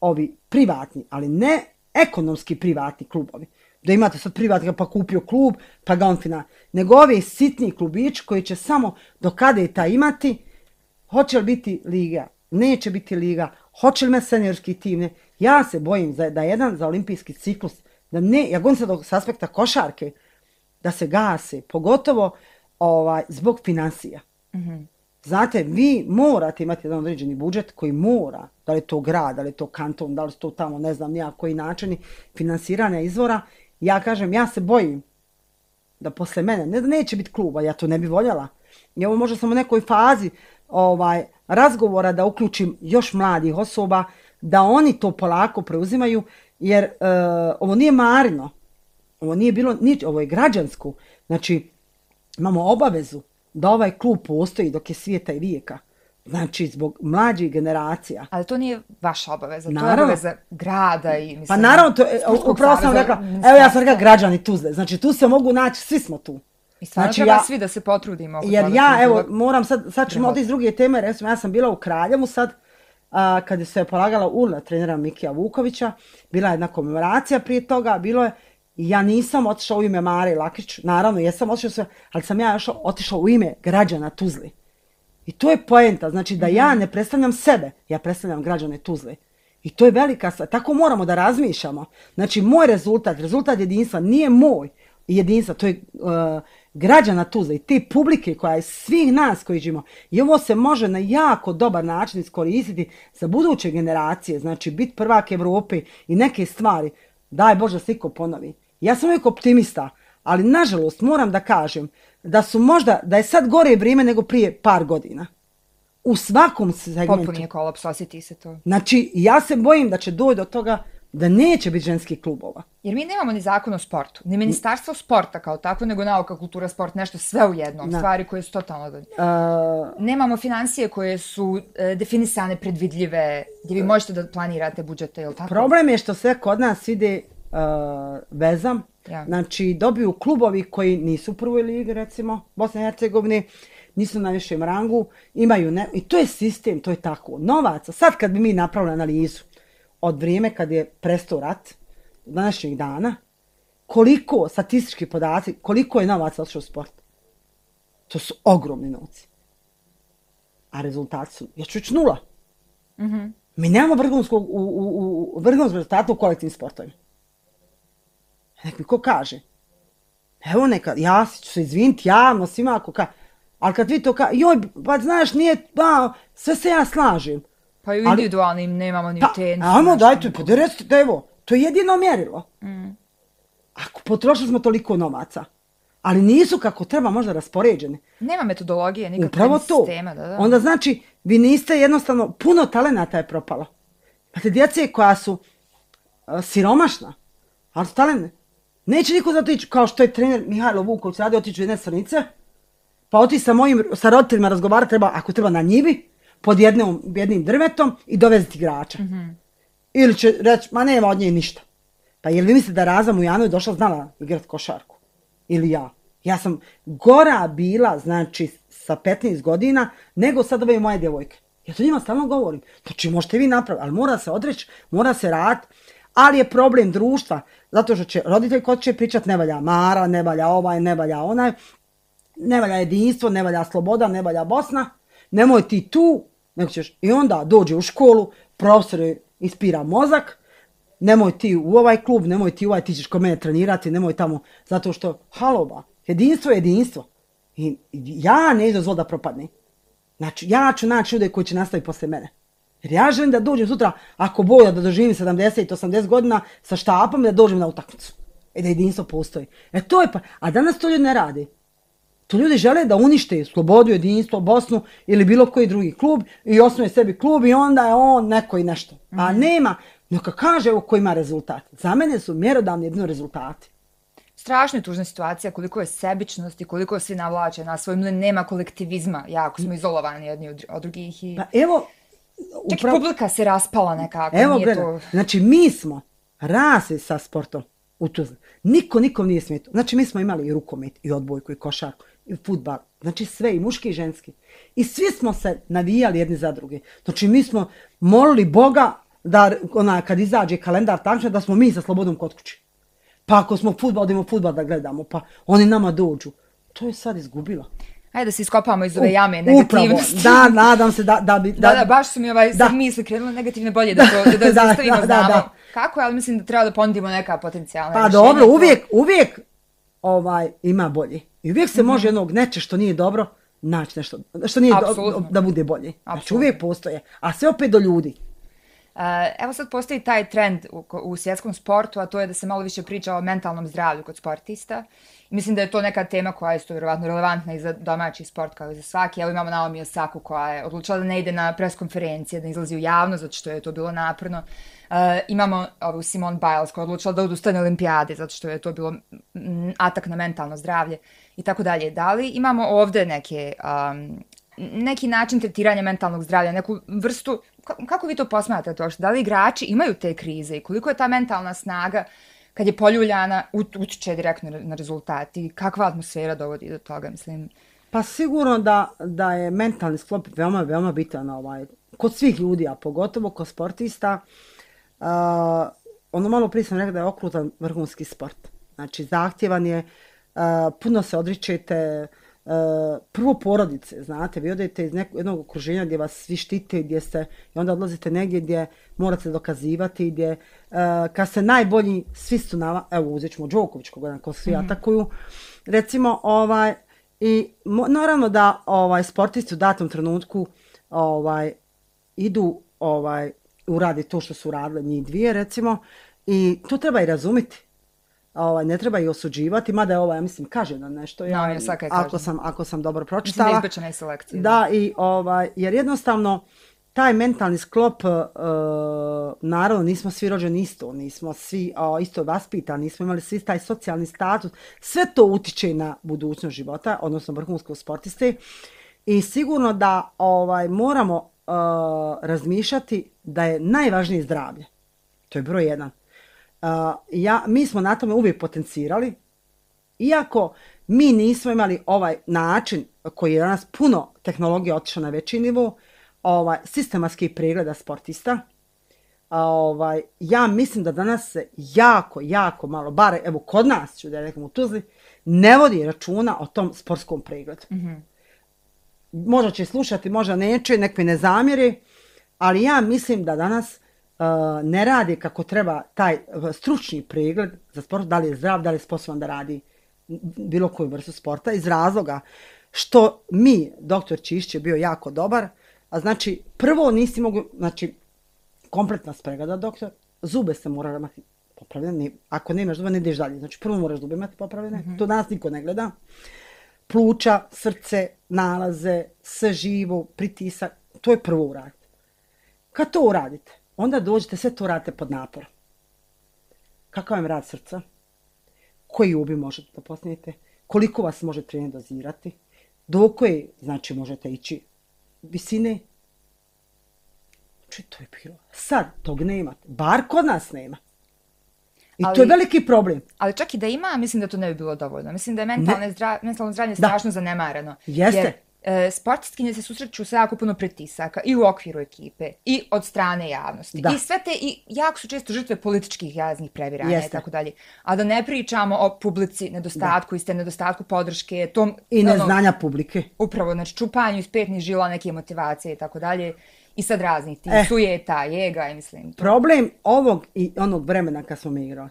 ovi privatni, ali ne ekonomski privatni klubovi. Da imate sad privatnika pa kupio klub, pa ga on fina. Nego ovi sitni klubići koji će samo do kada je ta imati, hoće li biti liga, neće biti liga, hoće li me seniorski tim, ne. Ja se bojim za, da jedan za olimpijski ciklus, da ne, ja govorim sad s aspekta košarke, da se gase, pogotovo ovaj, zbog financija. Mm-hmm. Znate, vi morate imati jedan određeni budžet koji mora, da li je to grad, da li je to kanton, da li je to tamo, ne znam, nijak koji načini finansiranja izvora. Ja kažem, ja se bojim da posle mene, ne da neće biti kluba, ja to ne bi voljela. I ovo možda sam u nekoj fazi ovaj, razgovora da uključim još mladih osoba, da oni to polako preuzimaju, jer uh, ovo nije marino, ovo nije bilo nič, ovo je građansko. Znači, imamo obavezu da ovaj klub postoji dok je svijeta i vijeka. Znači, zbog mlađih generacija. Ali to nije vaša obaveza, naravno. To je obaveza grada i mislim... Pa naravno, to, upravo sam rekla, evo ja sam rekla građani Tuzle, znači tu se mogu naći, svi smo tu. I stvarno znači, treba ja, svi da se potrudimo. Jer ja, evo, moram sad, sad ćemo od iz druge teme, recimo, ja sam bila u Kraljevu sad, a, kad se je polagala urna trenera Mikija Vukovića, bila je jedna komemoracija prije toga, bilo je, ja nisam otišao u ime Mare Lakić, naravno, jesam otišao sve, ali sam ja otišao u ime građana Tuzli. I to je poenta, znači da ja ne predstavljam sebe, ja predstavljam građane Tuzle. I to je velika stvar, tako moramo da razmišljamo. Znači moj rezultat, rezultat jedinstva nije moj jedinstva, to je uh, građana Tuzle i te publike koja je svih nas koji živimo. I ovo se može na jako dobar način iskoristiti za buduće generacije, znači biti prvak Evrope i neke stvari. Daj Bože da se iko ponovi. Ja sam uvijek optimista, ali nažalost moram da kažem da su možda, da je sad gore vrijeme nego prije par godina. U svakom segmentu. Potpuni je kolaps, osjeti se to. Znači, ja se bojim da će doći do toga da neće biti ženskih klubova. Jer mi nemamo ni zakon o sportu, ni ministarstvo sporta kao tako, nego nauka, kultura, sport, nešto sve u jednom. Na. Stvari koje su totalno... Uh, nemamo financije koje su uh, definisane, predvidljive, gdje vi možete da planirate budžete, ili tako? Problem je što sve kod nas ide uh, vezam. Ja. Znači, dobiju klubovi koji nisu u prvoj ligi, recimo, Bosne i Hercegovine, nisu na višem rangu, imaju ne... I to je sistem, to je tako. Novaca, sad kad bi mi napravili analizu od vrijeme kad je prestao rat, današnjeg dana, koliko, statistički podaci, koliko je novaca otišao u sport? To su ogromni novci. A rezultati su, ja ću reći nula. Mm-hmm. Mi nemamo vrhunskog, u, u, u, vrhunskog rezultata u kolektivnim sportovima. Nek mi ko kaže. Evo neka, ja ću se izviniti javno svima ako kaže. Ali kad vi to kaže, joj, pa znaš, nije, ba, sve se ja slažem. Pa i u individualnim ali, nemamo ni pa, tenis. Amo, dajte, pa da recite, evo, to je jedino mjerilo. Mm. Ako potrošili smo toliko novaca, ali nisu kako treba možda raspoređene. Nema metodologije, nikakve sistema. Da, da. Onda znači, vi niste jednostavno, puno talenata je propalo. Imate djece koja su uh, siromašna, ali su talentne. Neće niko zato ići, kao što je trener Mihajlo Vuković radio, otići u jedne Srnice, pa otići sa mojim, sa roditeljima razgovarati, treba, ako treba na njivi, pod jednom, jednim drvetom i doveziti igrača. Mm-hmm. Ili će reći, ma nema od nje ništa. Pa jel vi mislite da Raza Mujanović došla znala igrati košarku? Ili ja? Ja sam gora bila, znači, sa petnaest godina, nego sad ove moje djevojke. Ja to njima stalno govorim. Znači, možete vi napraviti, ali mora se odreći, mora se raditi. Ali je problem društva, zato što će roditelj kod će pričati ne valja Mara, ne valja ovaj, ne valja onaj, ne valja jedinstvo, ne valja sloboda, ne valja Bosna, nemoj ti tu, nego ćeš, i onda dođe u školu, profesor ispira mozak, nemoj ti u ovaj klub, nemoj ti u ovaj, ti ćeš kod mene trenirati, nemoj tamo, zato što, haloba, jedinstvo je jedinstvo. I ja ne dozvolim da propadne. Znači, ja ću naći ljude koji će nastaviti posle mene. Jer ja želim da dođem sutra, ako boja da doživim sedamdeset do osamdeset godina sa štapom, da dođem na utakmicu. I da jedinstvo postoji. E to je pa, a danas to ljudi ne radi. To ljudi žele da unište slobodu, jedinstvo, Bosnu ili bilo koji drugi klub i osnuje sebi klub i onda je on neko i nešto. Mm-hmm. A nema, neka kaže evo ko ima rezultat. Za mene su mjerodavni jedno rezultati. Strašno je tužna situacija, koliko je sebičnosti, koliko svi navlače na svoj mlin, nema kolektivizma, jako smo izolovani jedni od drugih. I... Pa evo... Čak upravo... publika se raspala nekako. Evo nije gledaj, to... znači mi smo rasli sa sportom u Tuzli. Niko nikom nije smetao. Znači mi smo imali i rukomet, i odbojku, i košarku, i fudbal. Znači sve, i muški i ženski. I svi smo se navijali jedni za druge. Znači mi smo molili Boga da ona, kad izađe kalendar tačno da smo mi sa slobodom kod kući. Pa ako smo fudbal, odimo fudbal da gledamo, pa oni nama dođu. To je sad izgubilo. Ajde da se iskopamo iz ove jame negativnosti. Upravo, da, nadam se da, da bi... Da, da, da, baš su mi ovaj, sad misli krenule negativne bolje da to da, da zastavimo, da, znamo da, da. Kako je, ali mislim da treba da ponudimo neka potencijalna pa rješenja. Pa dobro, uvijek, uvijek ovaj, ima bolje. I uvijek se mm-hmm. može jednog neče što nije dobro naći nešto, što nije do, da bude bolje. Apsolutno. Znači uvijek postoje, a sve opet do ljudi. Uh, evo sad postoji taj trend u, u svjetskom sportu, a to je da se malo više priča o mentalnom zdravlju kod sportista. I mislim da je to neka tema koja je isto vjerovatno relevantna i za domaći sport kao i za svaki. Evo imamo Naomi Osaku koja je odlučila da ne ide na pres konferencije, da izlazi u javnost, zato što je to bilo naporno. Uh, imamo ovu Simone Biles koja je odlučila da odustane olimpijade, zato što je to bilo atak na mentalno zdravlje i tako dalje. Da li imamo ovde neke... Um, neki način tretiranja mentalnog zdravlja, neku vrstu, kako vi to posmatrate to? Da li igrači imaju te krize i koliko je ta mentalna snaga kad je poljuljana utiče direktno na rezultat i kakva atmosfera dovodi do toga, mislim? Pa sigurno da, da je mentalni sklop veoma, veoma bitan ovaj, kod svih ljudi, a pogotovo kod sportista. Uh, ono malo prije sam rekla da je okrutan vrhunski sport. Znači zahtjevan je, uh, puno se odričete, Uh, prvo porodice, znate, vi odete iz nekog, jednog okruženja gdje vas svi štite, gdje ste, i onda odlazite negdje gdje morate dokazivati, gdje uh, kad ste najbolji, svi su na, evo uzet ćemo Đoković koga ko svi mm-hmm. atakuju, recimo, ovaj, i mo, naravno da ovaj, sportisti u datom trenutku ovaj, idu, ovaj, uradi to što su radile njih dvije, recimo, i to treba i razumjeti. Ovaj, ne treba i osuđivati, mada je ovaj, ja mislim, kaže da nešto, ja, no, ako, sam, ako sam dobro pročitala. Mislim da izbečena i selekcija. Da, i, ovaj, jer jednostavno, taj mentalni sklop, uh, naravno, nismo svi rođeni isto, nismo svi uh, isto vaspitani, nismo imali svi taj socijalni status, sve to utiče na budućnost života, odnosno vrhunskog sportiste, i sigurno da ovaj, moramo uh, razmišljati da je najvažnije zdravlje. To je broj jedan. Uh, ja, mi smo na tome uvijek potencirali, iako mi nismo imali ovaj način koji je danas puno tehnologija otišla na veći nivo, ovaj, sistematski pregleda sportista. Ovaj, ja mislim da danas se jako, jako malo, bare evo kod nas ću da rekam u Tuzli, ne vodi računa o tom sportskom pregledu. Mm-hmm. Možda će slušati, možda neće, nek mi ne zamjeri, ali ja mislim da danas Uh, ne radi kako treba taj stručni pregled za sport, da li je zdrav, da li je sposoban da radi bilo koju vrstu sporta, iz razloga što mi, doktor Čišć je bio jako dobar, a znači prvo nisi mogu, znači kompletna spregleda doktor, zube se mora imati popravljene, ako nemaš zube ne ideš dalje, znači prvo moraš zube imati popravljene, mm-hmm. to danas niko ne gleda, pluća, srce, nalaze, sve živo, pritisak, to je prvo uraditi. Kad to uradite, onda dođete, sve to radite pod naporom. Kakav vam rad srca? koji ubi možete da posnijete, koliko vas može trener dozirati, do koje, znači, možete ići visine. Znači, to je bilo. Sad tog nemate. Bar kod nas nema. I ali, to je veliki problem. Ali čak i da ima, mislim da to ne bi bilo dovoljno. Mislim da je mentalno, zdra, mentalno zdravlje da. strašno zanemareno. Jeste. Jer, e, sportistkinje se susreću sa jako puno pritisaka i u okviru ekipe i od strane javnosti. Da. I sve te, i jako su često žrtve političkih jaznih previranja i tako dalje. A da ne pričamo o publici, nedostatku, iste nedostatku podrške, tom... I neznanja ono, publike. Upravo, znači čupanju iz petnih žila, neke motivacije i tako dalje. I sad raznih tih eh, sujeta, jega i mislim. To. Problem ovog i onog vremena kad smo mi igrali.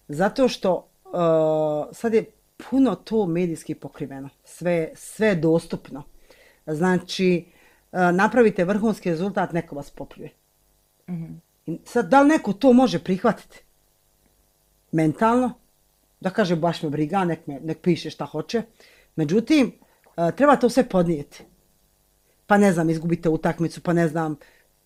Zato što uh, sad je puno to medijski pokriveno. Sve, sve je dostupno. Znači, uh, napravite vrhunski rezultat, neko vas popljuje. Mm-hmm. I sad, da li neko to može prihvatiti? Mentalno? Da kaže, baš me briga, nek, me, nek piše šta hoće. Međutim, uh, treba to sve podnijeti. Pa ne znam, izgubite utakmicu, pa ne znam,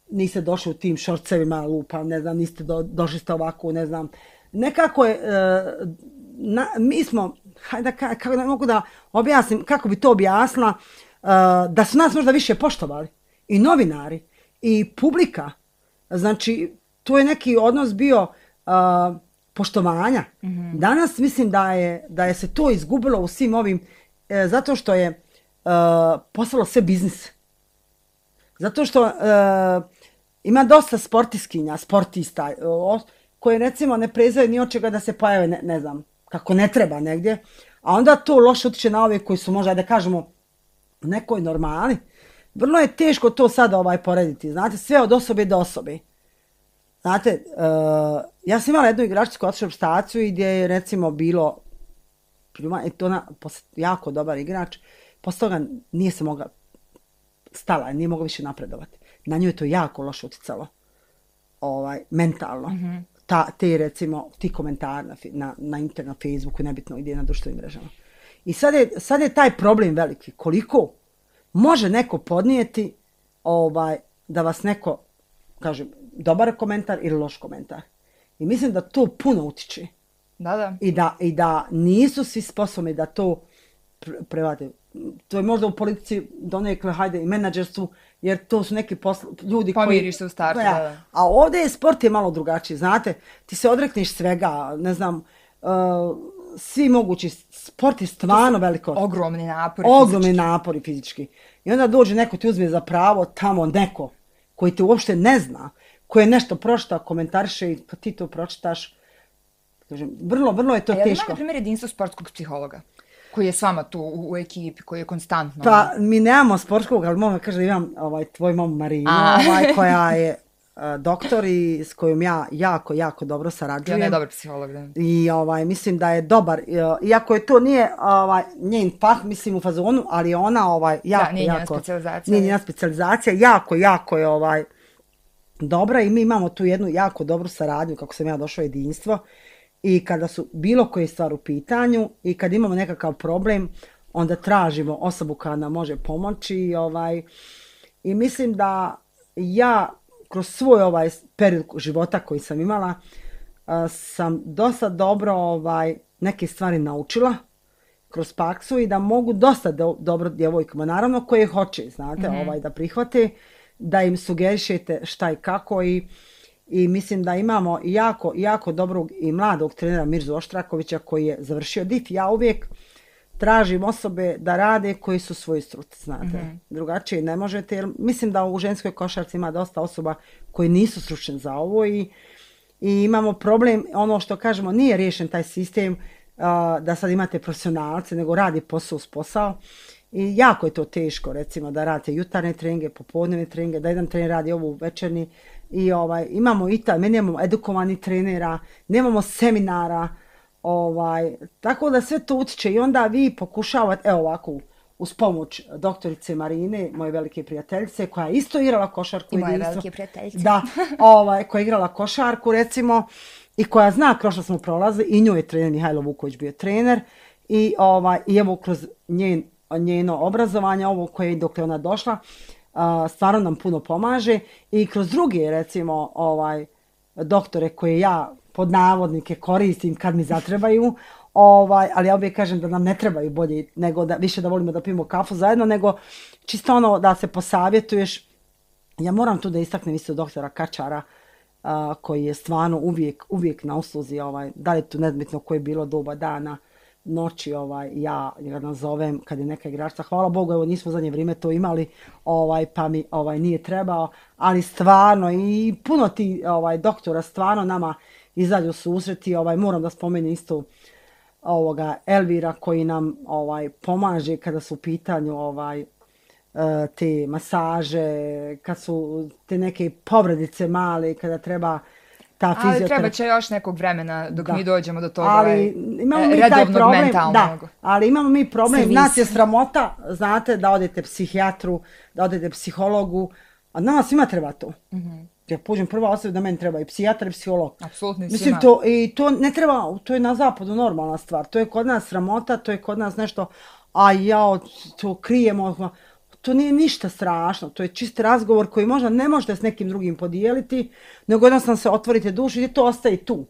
niste došli u tim šorcevima lupa, ne znam, niste do, došli ste ovako, ne znam. Nekako je, uh, na, mi smo, hajde, kako ne mogu da objasnim, kako bi to objasnila, uh, da su nas možda više poštovali. I novinari, i publika. Znači, to je neki odnos bio uh, poštovanja. Mm-hmm. Danas mislim da je, da je se to izgubilo u svim ovim, uh, zato što je uh, postalo sve biznis. Zato što uh, ima dosta sportiskinja, sportista, uh, koji recimo ne prezaju ni od čega da se pojave, ne, ne znam, kako ne treba negdje, a onda to loše utiče na ove koji su možda, da kažemo, u nekoj normali. Vrlo je teško to sada ovaj porediti, znate, sve od osobe do osobe. Znate, uh, ja sam imala jednu igračicu koja otišla u staciju i gdje je recimo bilo, i to ona, jako dobar igrač, posle toga nije se mogla, stala, nije mogla više napredovati. Na nju je to jako loše uticalo, ovaj, mentalno. Mm-hmm. Ta, te recimo, ti komentari na, na, na internet, na Facebooku, nebitno gdje na društvenim mrežama. I sad je, sad je taj problem veliki. Koliko može neko podnijeti ovaj, da vas neko, kažem, dobar komentar ili loš komentar. I mislim da to puno utiče. Da, da. I da, i da nisu svi sposobni da to prevade. To je možda u politici donekle, hajde, i menadžerstvu, jer to su neki posl- ljudi koji... Pomiriš se u startu, ja. Da. A ovdje je sport je malo drugačiji, znate, ti se odrekneš svega, ne znam, uh, svi mogući, sport je stvarno veliko. Ogromni napori Ogromni fizički. napori fizički. I onda dođe neko ti uzme za pravo, tamo neko koji te uopšte ne zna, koji je nešto pročitao, komentariše i pa ti to pročitaš. Kažem, vrlo, vrlo je to A teško. A je li ima, na primjer, jedinstvo sportskog psihologa? Koji je s vama tu u, u ekipi, koji je konstantno... Pa, mi nemamo sportskog, ali mogu kaže da imam ovaj, tvoj mamu Marinu, ovaj, koja je uh, doktor i s kojom ja jako, jako dobro sarađujem. I ona je dobar psiholog, da. I ovaj, mislim da je dobar, uh, iako je to nije ovaj, njen fah, mislim u fazonu, ali ona ovaj, jako, da, nije jako... njena specijalizacija. Nije njena specijalizacija, jako, jako je ovaj, dobra i mi imamo tu jednu jako dobru saradnju, kako sam ja došla u jedinstvo. I kada su bilo koje stvari u pitanju i kad imamo nekakav problem, onda tražimo osobu koja nam može pomoći. I, ovaj, i mislim da ja kroz svoj ovaj period života koji sam imala, a, sam dosta dobro ovaj, neke stvari naučila kroz praksu i da mogu dosta do, dobro djevojkama, naravno koje hoće, znate, mm-hmm. ovaj, da prihvate, da im sugerišete šta i kako i I mislim da imamo jako, jako dobrog i mladog trenera Mirzu Oštrakovića koji je završio D I F. Ja uvijek tražim osobe da rade koji su svoji struci, znate. Mm-hmm. Drugačije ne možete, jer mislim da u ženskoj košarci ima dosta osoba koji nisu stručni za ovo i, i imamo problem, ono što kažemo, nije riješen taj sistem uh, da sad imate profesionalce, nego radi posao uz posao. I jako je to teško, recimo, da radite jutarnje treninge, popodnevne treninge, da jedan trener radi ovu večerni. I ovaj, imamo i taj, mi nemamo edukovani trenera, nemamo seminara, ovaj, tako da sve to utiče i onda vi pokušavate, evo ovako, uz pomoć doktorice Marine, moje velike prijateljice, koja je isto igrala košarku. I moje velike prijateljice. Da, ovaj, koja je igrala košarku, recimo, i koja zna kroz što smo prolazili, i njoj je trener Mihajlo Vuković bio trener, i, ovaj, i evo kroz njen, njeno obrazovanje, ovo koje je dok je ona došla, Uh, stvarno nam puno pomaže i kroz druge, recimo, ovaj, doktore koje ja pod navodnike koristim kad mi zatrebaju, Ovaj, ali ja uvijek kažem da nam ne trebaju bolji, nego da više da volimo da pijemo kafu zajedno, nego čisto ono da se posavjetuješ. Ja moram tu da istaknem isto doktora Kačara, a, koji je stvarno uvijek, uvijek na usluzi, ovaj, da li je tu nezbitno koje je bilo doba dana, noći, ovaj, ja ga nazovem kad je neka igračka. Hvala Bogu, evo nismo u zadnje vrijeme to imali, ovaj, pa mi ovaj, nije trebao, ali stvarno i puno ti ovaj, doktora stvarno nama izađu susreti. Ovaj, moram da spomenem isto ovoga Elvira koji nam ovaj, pomaže kada su u pitanju ovaj, te masaže, kad su te neke povredice male, kada treba ta fizioterapija. Ali treba će još nekog vremena dok da. mi dođemo do toga ali, imamo mi taj problem, mentalnog. Da, ali imamo mi problem, Servis. Nas je sramota, znate, da odete psihijatru, da odete psihologu, a nama svima treba to. Mm-hmm. Ja pođem prva osoba da meni treba i psihijatar i psiholog. Apsolutno svima. Mislim, to, i to ne treba, to je na zapadu normalna stvar, to je kod nas sramota, to je kod nas nešto, a ja to krijemo. To nije ništa strašno, to je čist razgovor koji možda ne možete s nekim drugim podijeliti, nego jednostavno se otvorite dušu i to ostaje tu.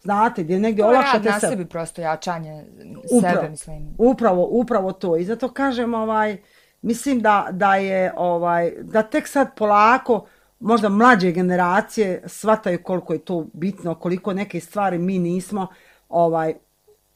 Znate, gdje negdje olakšate sebe. To je rad na sebe. sebi prosto, jačanje upravo, sebe, mislim. Upravo, upravo to. I zato kažem, ovaj, mislim da, da je, ovaj, da tek sad polako, možda mlađe generacije shvataju koliko je to bitno, koliko neke stvari mi nismo, ovaj,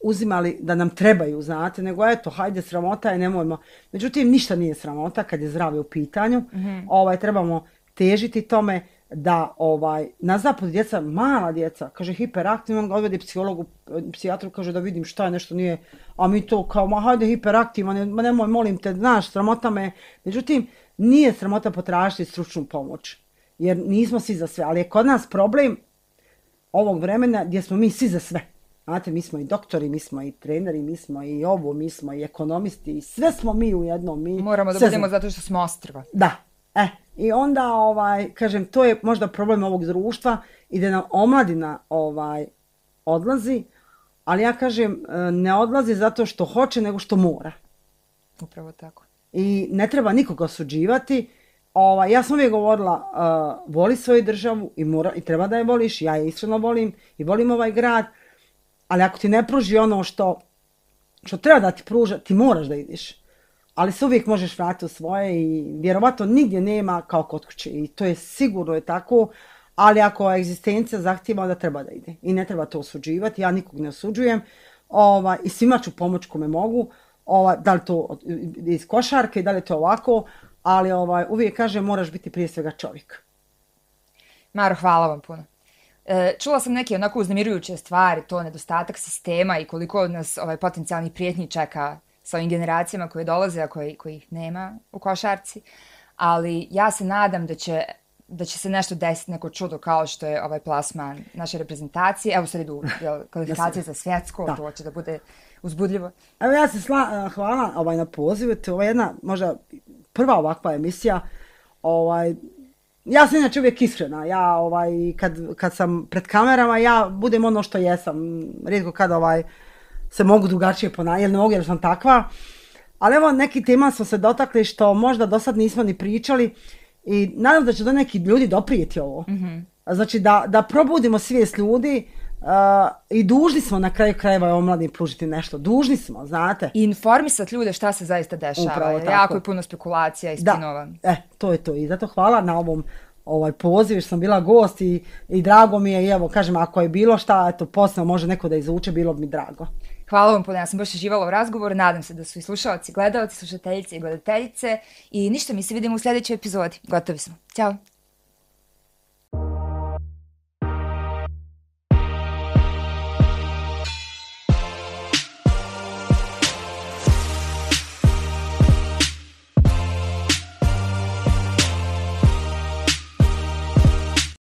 uzimali da nam trebaju, znate, nego eto, hajde, sramota je, nemojmo. Međutim, ništa nije sramota kad je zdravlje u pitanju. Mm-hmm. Ovaj, trebamo težiti tome da ovaj, na zapadu djeca, mala djeca, kaže hiperaktivno, on ga odvede psihologu, psihijatru, kaže da vidim šta je, nešto nije, a mi to kao, ma hajde hiperaktivno, ne, nemoj, molim te, znaš, sramota me. Međutim, nije sramota potražiti stručnu pomoć, jer nismo svi za sve, ali je kod nas problem ovog vremena gdje smo mi svi za sve. Znate, mi smo i doktori, mi smo i treneri, mi smo i ovo, mi smo i ekonomisti, i sve smo mi u jednom. Mi moramo da budemo zato što smo ostrva. Da, e, i onda, ovaj, kažem, to je možda problem ovog društva i da nam omladina ovaj, odlazi, ali ja kažem, ne odlazi zato što hoće, nego što mora. Upravo tako. I ne treba nikoga osuđivati. Ovaj, ja sam uvijek govorila, uh, voli svoju državu i, mora, i treba da je voliš, ja je iskreno volim i volim ovaj grad, ali ako ti ne pruži ono što, što treba da ti pruža, ti moraš da ideš. Ali se uvijek možeš vratiti u svoje i vjerovatno nigdje nema kao kod kuće. I to je sigurno je tako, ali ako egzistencija zahtijeva, onda treba da ide. I ne treba to osuđivati, ja nikog ne osuđujem. Ovaj, i svima ću pomoć kome mogu, ovaj, da li to iz košarke, da li to ovako, ali ovaj, uvijek kažem moraš biti prije svega čovjek. Maro, hvala vam puno. E, čula sam neke onako uznemirujuće stvari, to nedostatak sistema i koliko nas ovaj, potencijalnih prijetnji čeka sa ovim generacijama koje dolaze, a koji, kojih nema u košarci. Ali ja se nadam da će, da će se nešto desiti, neko čudo kao što je ovaj plasman naše reprezentacije. Evo sad idu kvalifikacije za svjetsko, da. To će da bude uzbudljivo. Evo ja se sla, hvala ovaj, na pozivu, to je jedna možda prva ovakva emisija. Ovaj, ja sam inače uvijek iskrena, ja ovaj, kad, kad sam pred kamerama, ja budem ono što jesam, rijetko kad ovaj, se mogu drugačije ponašati, jer ne mogu jer sam takva. Ali evo neki tema smo se dotakli što možda do sad nismo ni pričali i nadam da će do neki ljudi doprijeti ovo. Mm-hmm. Znači da, da probudimo svijest ljudi uh, i dužni smo na kraju krajeva omladini pružiti nešto. Dužni smo, znate. I informisati ljude šta se zaista dešava. Jako je puno spekulacija i spinova. Da, e, to je to. I zato hvala na ovom ovaj poziv, što sam bila gost i, i drago mi je. I evo, kažem, ako je bilo šta, eto, posebno može neko da izuče, bilo bi mi drago. Hvala vam puno, ja sam baš uživala u razgovoru, nadam se da su i slušalci, gledalci, slušateljice i gledateljice i ništa, mi se vidimo u sljedećoj epizodi. Gotovi smo. Ćao!